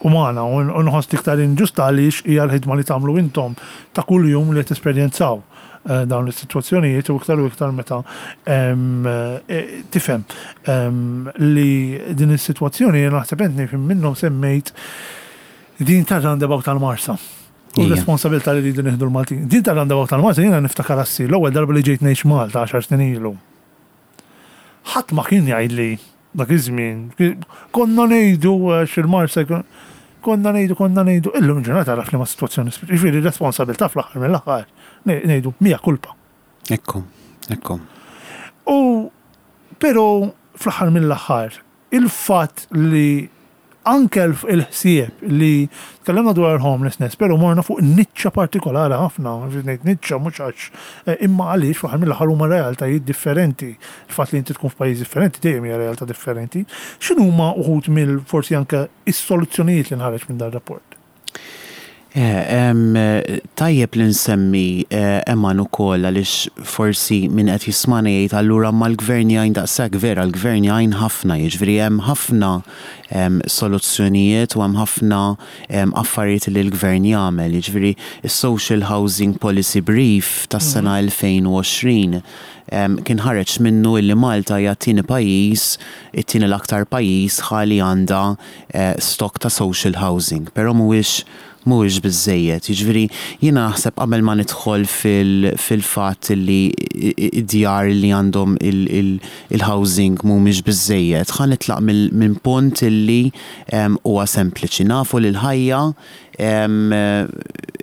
Speaker 1: umana u nħoss iktar inġusta għaliex hija l-ħidma li tagħmlu intom ta' kuljum li tesperjenzaw eh, dawn is-sitwazzjonijiet, u iktar u iktar meta eh, tifhem li din is-sitwazzjoni, naħseb enti minnhom semmejt din tar-roundabout tal-Marsa. U responsabilità li rridu nieħdu l-Maltin. Din tar-roundabout tal-Marsa jiena niftakar assi l-ewwel darba li ġejt ngħix Malta għaxar snin ilu. Ħadd ma kien jgħidli dak iż-żmien. Konna ngħidu xil-Marsa, konna ngħidu, konna ngħidu, illum ġurnata taf li ma sitwazzjoni, ġifieri responsabilità fl-aħħar mill-aħħar ngħidu mija kulpa.
Speaker 2: Ekku, ekku.
Speaker 1: U però fl-aħħar mill-aħħar il-fatt li anke il-ħsieb li tkellimna dwar homelessness, pero morna fuq niċċa partikolari ħafna, ngħid niċċa mhux għax eh, imma għaliex fl-aħħar mill-aħħar huma realtajiet differenti. Il-fatt li inti tkun f'pajjiż differenti dejjem hija realtà differenti. X'inhuma uħud mill forsi anke is-soluzzjonijiet li nħareġ minn dan rapport?
Speaker 2: Eh, tajjeb li nsemmi eh, Eman ukoll, għaliex forsi min qed jismana jgħid, "Allura ma l-gvern jgħin daqshekk?" Vera, l-gvern jgħin ħafna, jiġifieri hemm ħafna soluzzjonijiet u hemm ħafna affarijiet li l-gvern jagħmel. Jiġifieri is-Social Housing Policy Brief tas-sena elfejn u għoxrin kien ħareġ minnu illi Malta hija t-tieni pajjiż, it-tieni l-aktar pajjiż ħali għandha eh, stock ta' social housing, però mhuwiex mhuwiex biżejjed. Jiġifieri jiena naħseb qabel ma nidħol fil-fatt li id-djar li għandhom il-housing mhumiex biżejjed, ħa nitlaq minn punt illi huwa sempliċi. Nafu li l-ħajja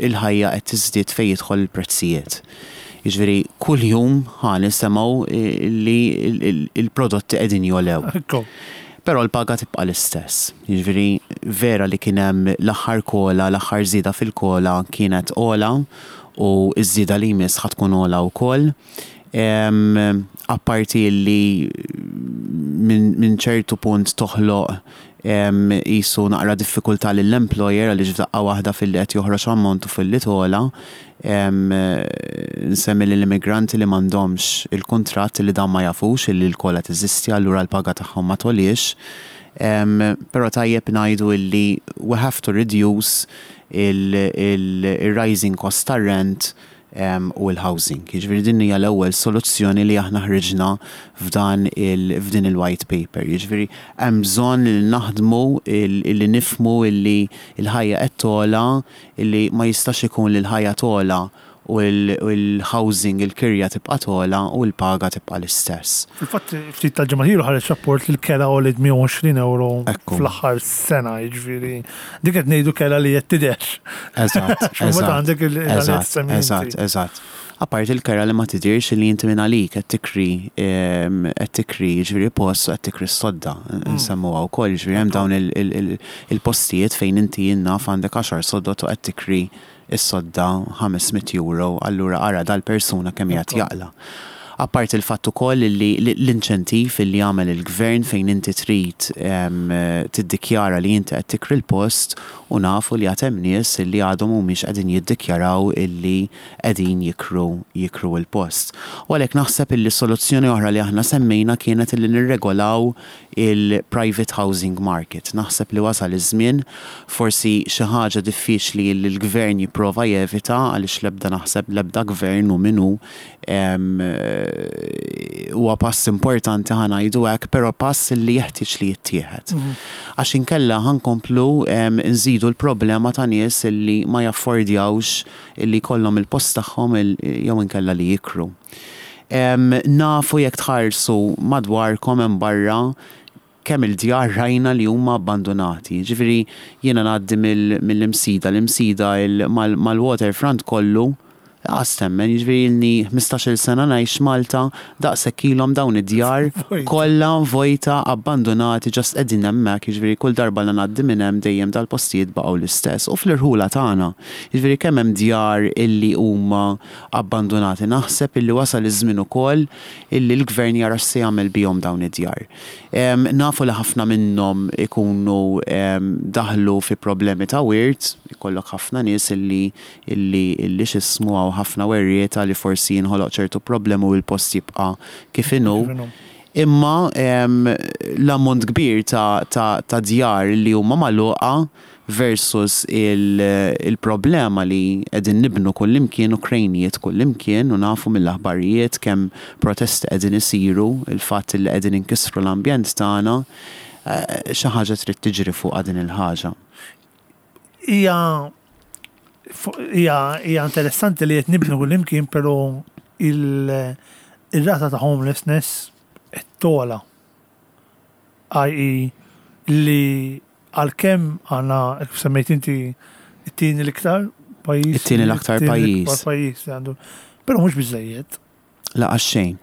Speaker 2: il-ħajja qed tiżdied fejn jidħol il-prezzijiet. Jiġifieri kull jum ħa nisimgħu li il-prodotti qegħdin jogħlew. Però l-paga tibqa' l-istess. Jiġifieri vera li kien hemm l-aħħar COLA, l-aħħar żieda fil-COLA kienet ogħla u ż-żieda li jmiss ħa tkun ogħla wkoll. Apparti li minn ċertu punt toħloq jisu naqra diffikultà lill-employer, għaliex f'daqqa waħda fil-li qed joħroġ ammont u fil-li togħla. Nsemmi l-immigranti li m'għandhomx il-kuntratt, li dan ma jafux li l-COLA teżisti, allura l-paga tagħhom ma togħliex. Però tajjeb ngħidu illi we have to reduce il-rising cost tar-rent u l-housing. Jiġifieri din hija l-ewwel soluzzjoni li aħna ħriġna f'dan f'din il-white paper. Jiġifieri hemm bżonn li naħdmu li nifhmu illi l-ħajja qed togħla, illi ma jistax ikun li l-ħajja togħla u l-housing, il-kirja tibqa' togħla u l-paga tibqa' l-istess.
Speaker 1: Fil-fatt ftit tal-ġimgħat ilu ħareġ rapport li l-kera għoliet mija u għoxrin euro fl-aħħar sena, jiġifieri dik qed ngħidu kera li qed tidher.
Speaker 2: Eżatt,
Speaker 1: eżatt.
Speaker 2: Eżatt, eżatt. Apart il-kera li ma tidirx, li inti minn għalik qed tikri qed tikri ġifieri post u qed tikri s-sodda, nsemmuha wkoll, jiġifieri hemm dawn il-postijiet fejn inti jinnaf għandek għaxar soddot u qed tikri is-sodda ħames mitt euro, allura ara dal-persuna kemm qiegħed jaqla. Apart il-fatt ukoll li l-inċentiv li jagħmel il-gvern fejn inti trid tiddikjara li inti qed tikri l-post, u nafu li għad hemm nies li għadhom mhumiex qegħdin jiddikjaraw illi qegħdin jikru jikru l-post. U għalhekk naħseb illi soluzzjoni oħra li aħna semmejna kienet illi nirregolaw il-private housing market. Naħseb li wasal iż-żmien, forsi xi ħaġa diffiċli li l-gvern jipprova jevita, għaliex l-ebda naħseb l-ebda gvern u minnu huwa pass importanti, ħa ngħidu hekk, però pass li jeħtieġ li jittieħed. Għax inkella ħa nkomplu nżidu l-problema ta' nies li ma jaffordjawx illi jkollhom il-post tagħhom jew inkella li jikru. Nafu jekk tħarsu madwarkom hemm barra kemm il-djar rajna li huma abbandonati. Ġifieri jiena ngħaddi mill-Imsida, l-Imsida mal-waterfront kollu Lanqas temmen, jiġifieri ilni ħmistax-il sena ngħix Malta, daqshekk ilhom dawn id-djar
Speaker 1: Vojta.
Speaker 2: Kollha vojta, abbandonati, just qegħdin hemmhekk, jiġifieri kull darba li ngħaddi minn hemm dejjem dal-postijiet baqgħu l-istess. U fl-irħula tagħna, jiġifieri kemm hemm djar illi huma abbandonati, naħseb illi wasal iż-żmien ukoll illi l-gvern jara x'se jagħmel bihom dawn id-djar. Em, Nafu li ħafna minnhom ikunu em, daħlu fi problemi ta' wirt, ikollok ħafna nies illi illi illi x'ismu hawn ħafna werrieta li forsi jinħoloq ċertu problemi u l-post jibqa' kif inhu.
Speaker 1: Kif inhu.
Speaker 2: Imma em, l-ammont kbir ta', ta, ta' djar li huma magħluqa versus il- il-problema li qegħdin nibnu kullimkien u krejnijiet kullimkien u nafu mill-aħbarijiet kemm protesti qegħdin isiru, il-fatt li qegħdin inkisru l-ambjent tagħna, eh, xi ħaġa trid tiġri fuq din il-ħaġa.
Speaker 1: Hija fu- hija hija interessanti li qed nibnu kullimkien, però il- ir-rata ta' homelessness qed togħla. I E li għalkemm għandna, kif semmejt inti, it-tieni l-iktar pajjiż.
Speaker 2: It-tieni l-aktar
Speaker 1: it-tieni
Speaker 2: pajjiż.
Speaker 1: l-ikbar pajjiż li għandu. Però mhux biżejjed.
Speaker 2: Lanqas xejn.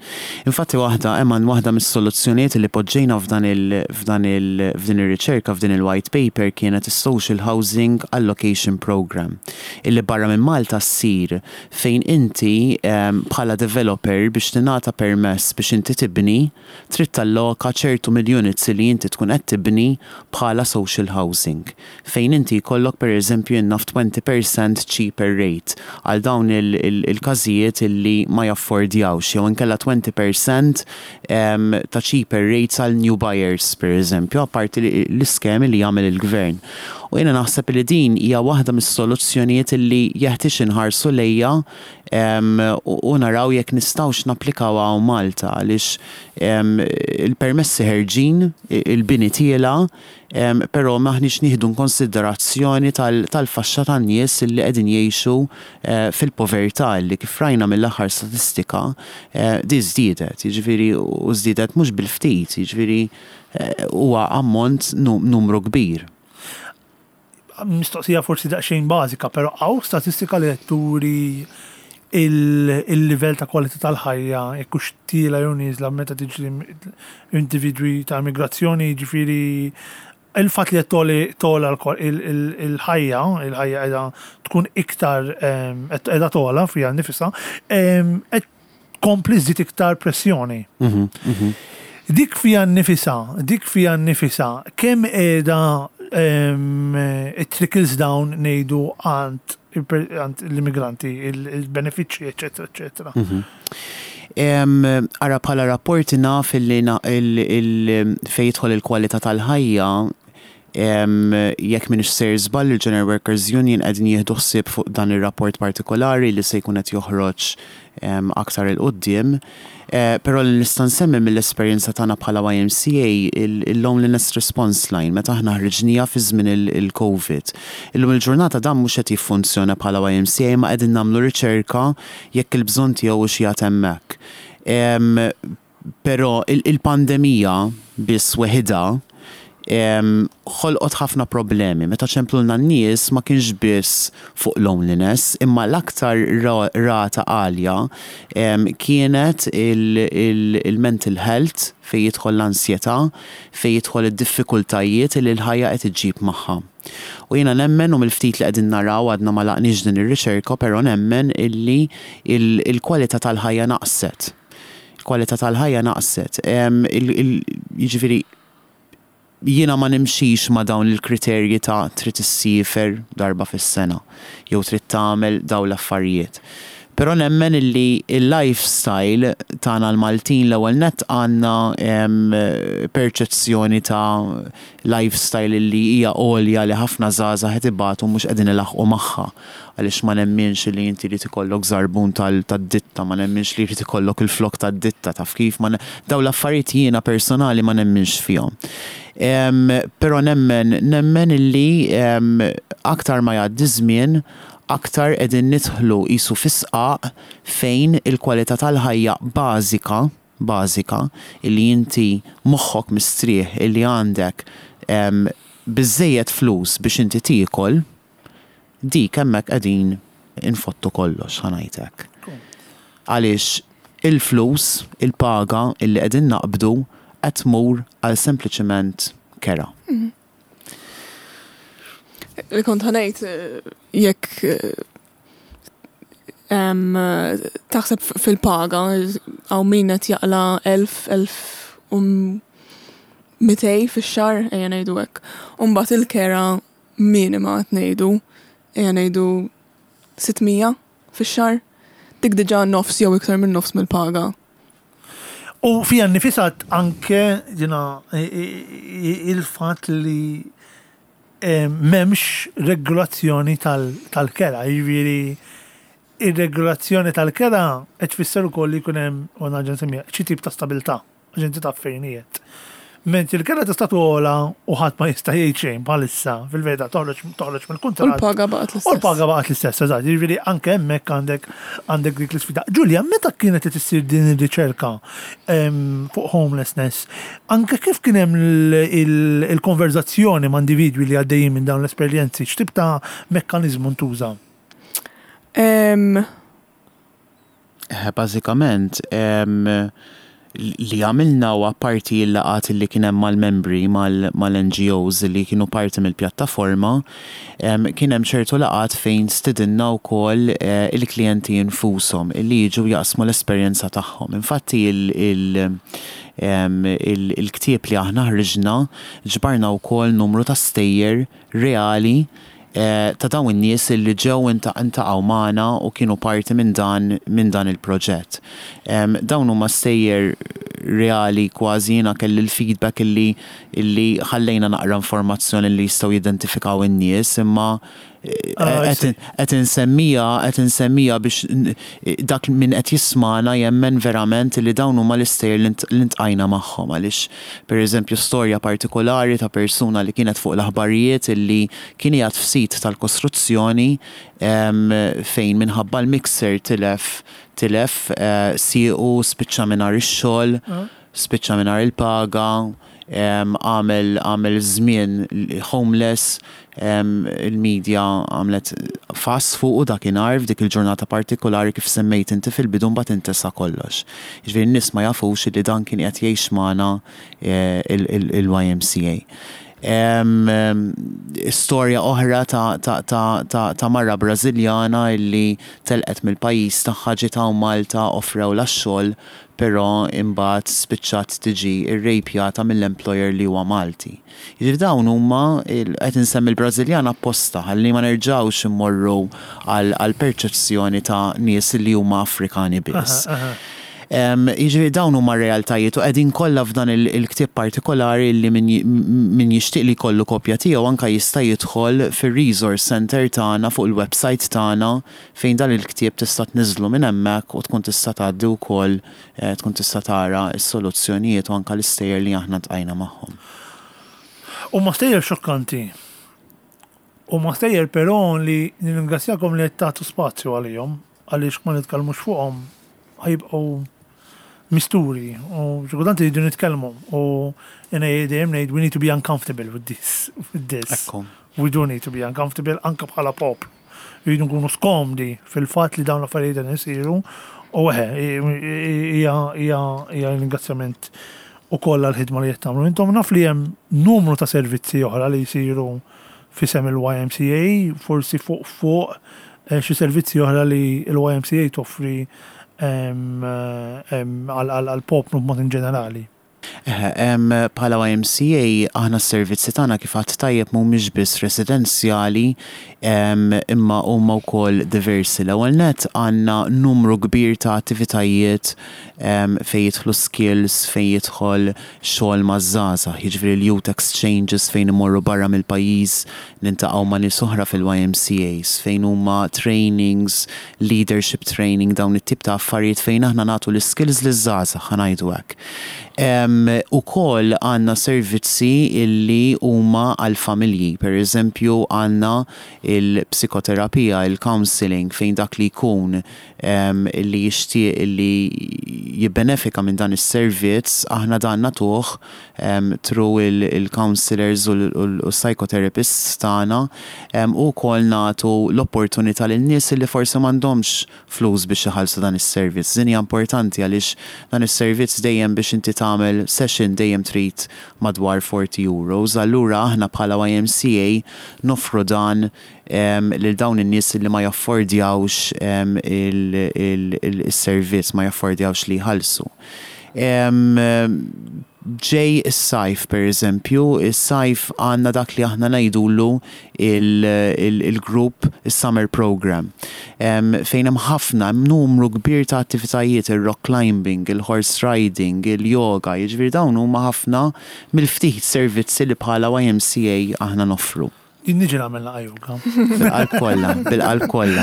Speaker 2: Infatti waħda, Eman, waħda mis-soluzzjonijiet li poġġejna f'dan il f'dan il f'din ir-riċerka, f'din il-white paper, kienet is-Social Housing Allocation Program illi barra minn Malta ssir, fejn inti em, bħala developer, biex tingħata permess biex inti tibni, trid talloka ċertu mill-units li inti tkun qed tibni bħala social housing. Fejn inti jkollok, per eżempju, naf, twenty percent cheaper rate għal dawn il- il- il-każijiet illi ma jaffordjawx, jew inkella twenty percent em, ta' cheaper rates għal new buyers, per eżempju, apparti li- l-iskemi li jagħmel il-gvern. U jiena naħseb li din hija waħda mis-soluzzjonijiet li jeħtieġ inħarsu lejha em, u u naraw jekk nistgħux napplikaw hawn Malta, għaliex em, il-permessi ħerġin, il-bini tiela', em, però maħniex nieħdu konsiderazzjoni tal- tal-faxxa tan-nies li qegħdin jgħixu eh, fil-povertà, li kif rajna mill-aħħar statistika eh, di żdiedet, jiġifieri u żdiedet mhux bil-ftit, jiġifieri eh, huwa ammont nu- numru kbir.
Speaker 1: Mistoqsija forsi daqsxejn bażika, però hawn statistika li qed turi il- il-livell ta' kwalità tal-ħajja, jekk hux tiela' jew nieżla meta tiġi individwi ta' immigrazzjoni, ġifieri il-fatt li qed togħli togħla l- il- il- il-ħajja, il-ħajja qiegħda tkun iktar em, qed qiegħda togħla fiha nnifisha, em, qed tkompli żżid iktar pressjoni.
Speaker 2: Mhm, mhm.
Speaker 1: Dik fija nnifisha, dik fija nnifisha, kemm qiegħda em, it trickles down, ngħidu, għand il- għand l-immigranti, il- il-benefiċċji, eccetera, eccetera?
Speaker 2: Em, Ara, bħala rapporti naf illi na- il- il- fejn jidħol il-kwalità tal-ħajja, em, jekk m'iniex sejjer żball, il-General Workers Union qegħdin jieħdu ħsieb fuq dan ir-rapport partikolari li se jkun qed joħroġ em, aktar 'il quddiem. Eh, Però li nista' nsemmi mill-esperjenza tagħna bħala Y M C A, il-Loneliness Response Line, meta aħna ħriġnieha fi żmien il- il-Covid. Illum il-ġurnata dan mhux qed jiffunzjona bħala Y M C A, ma qegħdin nagħmlu riċerka jekk il-bżonn tiegħu hux qiegħed hemmhekk. Em, Però il- il-pandemija biss weħidha em, ħolqot ħafna problemi. Meta ċemplulna n-nies, ma kienx biss fuq loneliness, imma l-aktar ra- rata għalja em, kienet il-mental health, fejn jidħol l-ansjetà, fejn jidħol id-diffikultajiet li l-ħajja qed iġġib magħha. U jiena nemmen, u mill-ftit li qegħdin naraw, għadna ma għalaqniex din ir-riċerka, però nemmen illi il- il-kwalità tal-ħajja naqset. Il-kwalità tal-ħajja naqset. Em, il- il- Jiġifieri jiena ma nimxix ma dawn il-kriterji ta' trid issiefer darba fis-sena jew trid tagħmel dawn l-affarijiet. Però nemmen illi il-lifestyle tagħna l-Maltin, l-ewwel nett għandna em, perċezzjoni ta' lifestyle illi hija għolja, li ħafna żgħażagħ qed ibatu, mhux qegħdin ilaħqu magħha. Għaliex ma nemminx li inti li ikollok żarbun tal-ditta, ma nemminx li jrid ikollok il-flok tad-ditta, taf kif, ma ne- dawn l-affarijiet jiena personali ma nemminx fihom. Em, Però nemmen, nemmen illi em, aktar ma jgħaddi żmien, aktar qegħdin nidħlu qisu fi sqaq fejn il-kwalità tal-ħajja bażika, bażika, illi inti moħħok mistrieħ, illi għandek em, biżejjed flus biex inti tiekol, dik hemmhekk qegħdin Infottu kollox, ħa ngħidlek. Għaliex il-flus, il-paga illi qegħdin naqbdu qed tmur għal sempliċement kera.
Speaker 3: Li kont ħa ngħid, eh, jekk eh, em, eh, taħseb f- fil-paga, hawn min qed jaqla' elf, elf u mitejn fix-xahar, ejja ngħidu hekk. U mbagħad il-kera minima qed ngħidu, ejja ngħidu sitt mija fix-xahar. Dik diġà nofs jew iktar minn nofs mill-paga.
Speaker 1: U fija nnifisha anke ġina il-fat li eh, m'hemmx regolazzjoni tal- tal-kera, jiġifieri ir-regolazzjoni tal-kera qed tfisser ukoll li jkun hemm, u nerġa' nsemmiha, xi tip ta' stabilità, għax inti taf fejn qiegħed. Mentri il-kera tista' togħla u ħadd ma jista' jgħid xejn bħalissa, fil-verità toħroġ toħroġ
Speaker 3: U
Speaker 1: mill-kuntratt.
Speaker 3: l-paga baqgħet
Speaker 1: U
Speaker 3: l-istess.
Speaker 1: l-paga baqgħet l-istess, eżatt. Jiġifieri anke hemmhekk għandek għandek dik l-isfida. Ġulja, meta kienet qed issir din ir-riċerka em, fuq homelessness, anke kif kien hemm il- il- il-konverzazzjoni ma' individwi li għaddejjin minn dawn l-esperjenzi, x'tip ta' mekkaniżmu ntuża?
Speaker 3: Em,
Speaker 2: Eh, Bażikament, em, li għamilna u parti il-laqgħat li kien hemm mal-membri mal-N G Os li kienu parti mill-pjattaforma, em, kien hemm ċertu laqgħat fejn stidinna wkoll eh, il-klijenti infushom illi jiġu jaqsmu l-esperjenza tagħhom. Infatti il- il- em, il- il-ktieb li aħna ħriġna ġbarna wkoll numru ta' stejjer reali eh, ta' dawn in-nies li ġew iltaqgħu magħna u kienu parti minn dan minn dan il-proġett. Em, Dawn huma stejjer reali, kważi jiena kelli l-feedback illi illi ħallejna naqra informazzjoni li jistgħu jidentifikaw in-nies, imma eh,
Speaker 1: Ah, I see.
Speaker 2: qed qed insemmija qed insemmija biex n- dak min qed jismana jemmen verament li dawn huma l-istejjer li nt- li ltqajna magħhom, għaliex pereżempju storja partikolari ta' persuna li kienet fuq l-aħbarijiet illi kien qiegħed f'sit tal-kostruzzjoni em, fejn minħabba l-mixer tilef tilef eh, siequ, spiċċa mingħajr ix-xogħol, spiċċa mingħajr il-paga, em, għamel għamel żmien homeless, em, il-medja għamlet fuss fuq dakinhar f'dik il-ġurnata partikolari kif semmejt inti fil-bidu, mbagħad intesa kollox. Jiġifieri n-nies ma jafux li dan kien qed jgħix magħna eh, il- il- il-Y M C A. Em, em, Storja oħra ta', ta, ta, ta, ta' mara Brażiljana illi telqet mill-pajjiż tagħha, ġiet hawn Malta, offrewlha x-xogħol, però imbagħad spiċċat tiġi irrejpjata mill-employer li huwa Malti. Jiġifieri dawn huma il- qed insemmi l-Brażiljana apposta ħalli ma nerġgħux immorru għal għal perċezzjoni ta' nies li huma Afrikani biss. Em, Jiġifieri dawn huma realtajiet u qegħdin kollha f'dan il- il-ktieb partikolari li min ji- min jixtieq li jkollu kopja tiegħu anka jista' jidħol fir-resource center tagħna fuq il-website tagħna, fejn dan il-ktieb tista' tniżlu minn hemmhekk u tkun tista' tgħaddi wkoll eh, tkun tista' tara s-soluzzjonijiet u anka l-istejjer li aħna ltqajna magħhom.
Speaker 1: U ma stejjer xokkanti. U ma stejjer però li nirringrazzjakom li qed tagħtu spazju għalihom, għaliex ma nitkellmux fuqhom ħa jibqgħu misturi u xi kultant iridu nitkellmu u jiena dejjem ngħid we need to be uncomfortable with this with this.
Speaker 2: Ekku.
Speaker 1: We do need to be uncomfortable anka bħala poplu. Rridu nkunu skomdi fil-fatt li dawn l-affarijiet qed isiru u eħe, hija hija hija ringrazzjament ukoll għal-ħidma li qed tagħmlu. Intom naf li hemm numru ta' servizzi oħra li jsiru f'isem il-Y M C A, forsi fuq fuq eh, xi servizzi oħra li l-Y M C A toffri em, em, għal- għal għal poplu b'mod in ġenerali.
Speaker 2: Eħe, em, Bħala Y M C A aħna s-servizzi tagħna, kif għedt tajjeb, mhumiex biss residenzjali em, imma huma wkoll diversi. L-ewwel net għandna numru kbir ta' attivitajiet em, fejn jidħlu skills, fejn jidħol xogħol maż-żgħażagħ, jiġifieri l-youth exchanges fejn imorru barra mill-pajjiż, niltaqgħu ma' nies oħra fil-Y M C As, fejn huma trainings, leadership training, dawn it-tip ta' affarijiet fejn aħna nagħtu l-skills liż-żgħażagħ, ħa ngħidu hekk. Em, Ukoll għandna servizzi illi huma għal-familji. Per eżempju, għandna il-psikoterapija, il-counseling, fejn dak li jkun em, illi jixtieq illi jibbenefika minn dan is-servizz, aħna dan nagħtuh um, through il-counselors u l-psychotherapists tagħna um, u wkoll nagħtu l-opportunità lin nies li forsi m'għandhomx flus biex iħallsu dan is-servizz. Din hija importanti għaliex dan is-servizz dejjem biex inti tagħmel session dejjem trid madwar forty euros. Allura aħna bħala Y M C A noffru dan um, lil dawn in-nies li ma jaffordjawx um, il-servizz, ma jaffordjawx li jħallsu. Um, ġej is-sajf, per eżempju, is-sajf għandna dak li aħna ngħidulu il-group il-summer program. Um, fejn hemm ħafna, hemm numru kbir ta' attivitajiet, il-rock climbing, il-horse riding, il-yoga, jiġifieri dawn huma ħafna mill-ftit servizzi li bħala Y M C A aħna noffru.
Speaker 1: Jien niġi nagħmel naqa yoga.
Speaker 2: Bil-qalb kollha, bil-qalb kollha.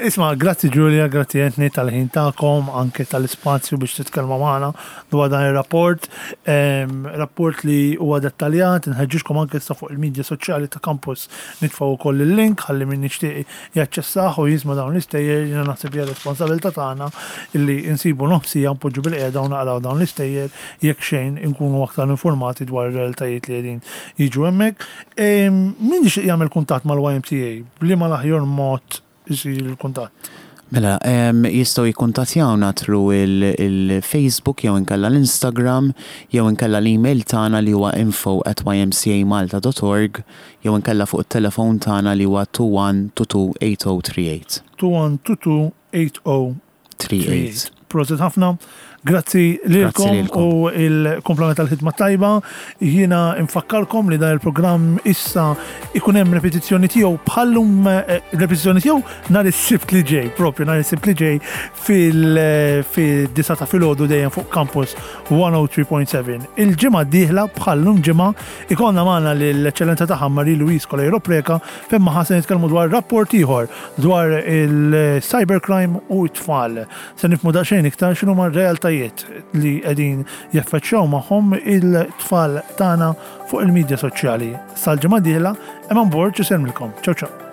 Speaker 1: Isma', grazzi Julia, grazzi Anthony tal-ħin tagħkom, anke tal-ispazju biex titkellmu magħna dwar dan ir-rapport. Rapport li huwa dettaljat, nħeġġiġkom anke issa fuq il-medja soċjali ta' Campus nitfgħu wkoll il-link ħalli min jixtieq jaċċessah u jisma' dawn l-istejjer. Jiena naħseb hija responsabilità tagħna illi insibu nofs siegħa npoġġu bilqiegħda u naqraw dawn l-istejjer, jekk xejn inkunu aktar informati dwar ir-realtajiet li qegħdin jiġu hemmhekk. Min jixtieq jagħmel kuntatt mal-Y M C A, b'liema l-aħjar mod isir il-kuntatt?
Speaker 2: Mela, um, jistgħu jikkuntattjawna through il-Facebook jew inkella l-Instagram jew inkella l-email tagħna li huwa info at Y M C A malta dot org jew inkella fuq it-telefon tagħna li huwa twenty-one twenty-two eighty thirty-eight.
Speaker 1: twenty-one twenty-two eighty thirty-eight. Prosit ħafna. Grazzi lilkom u il-komplement tal-ħidma tajba. Jiena infakkarkom li dan il-programm issa ikun hemm repetizzjoni tiegħu bħallum, eh, repetizzjoni tiegħu nhar is-Sibt li ġej, propju nhar is-Sibt li ġej fil-disgħa ta' filgħodu dejjem fuq Campus one oh three point seven. Il-ġimgħa d-dieħla bħallum ġimgħa ikollna magħna l-eċċellenza tagħha Marie Louise Coleiro Preca, fejn magħha se nitkellmu dwar rapport ieħor dwar il-cybercrime u t-tfal. Se nifhmu daqsxejn iktar x'inhuma r-realtajiet li qegħdin jaffaċċjaw magħhom il-tfal tagħna fuq il-medja soċjali. Sal-ġimgħa dieħla, Eman Borg isellmilkom. Ciao ciao.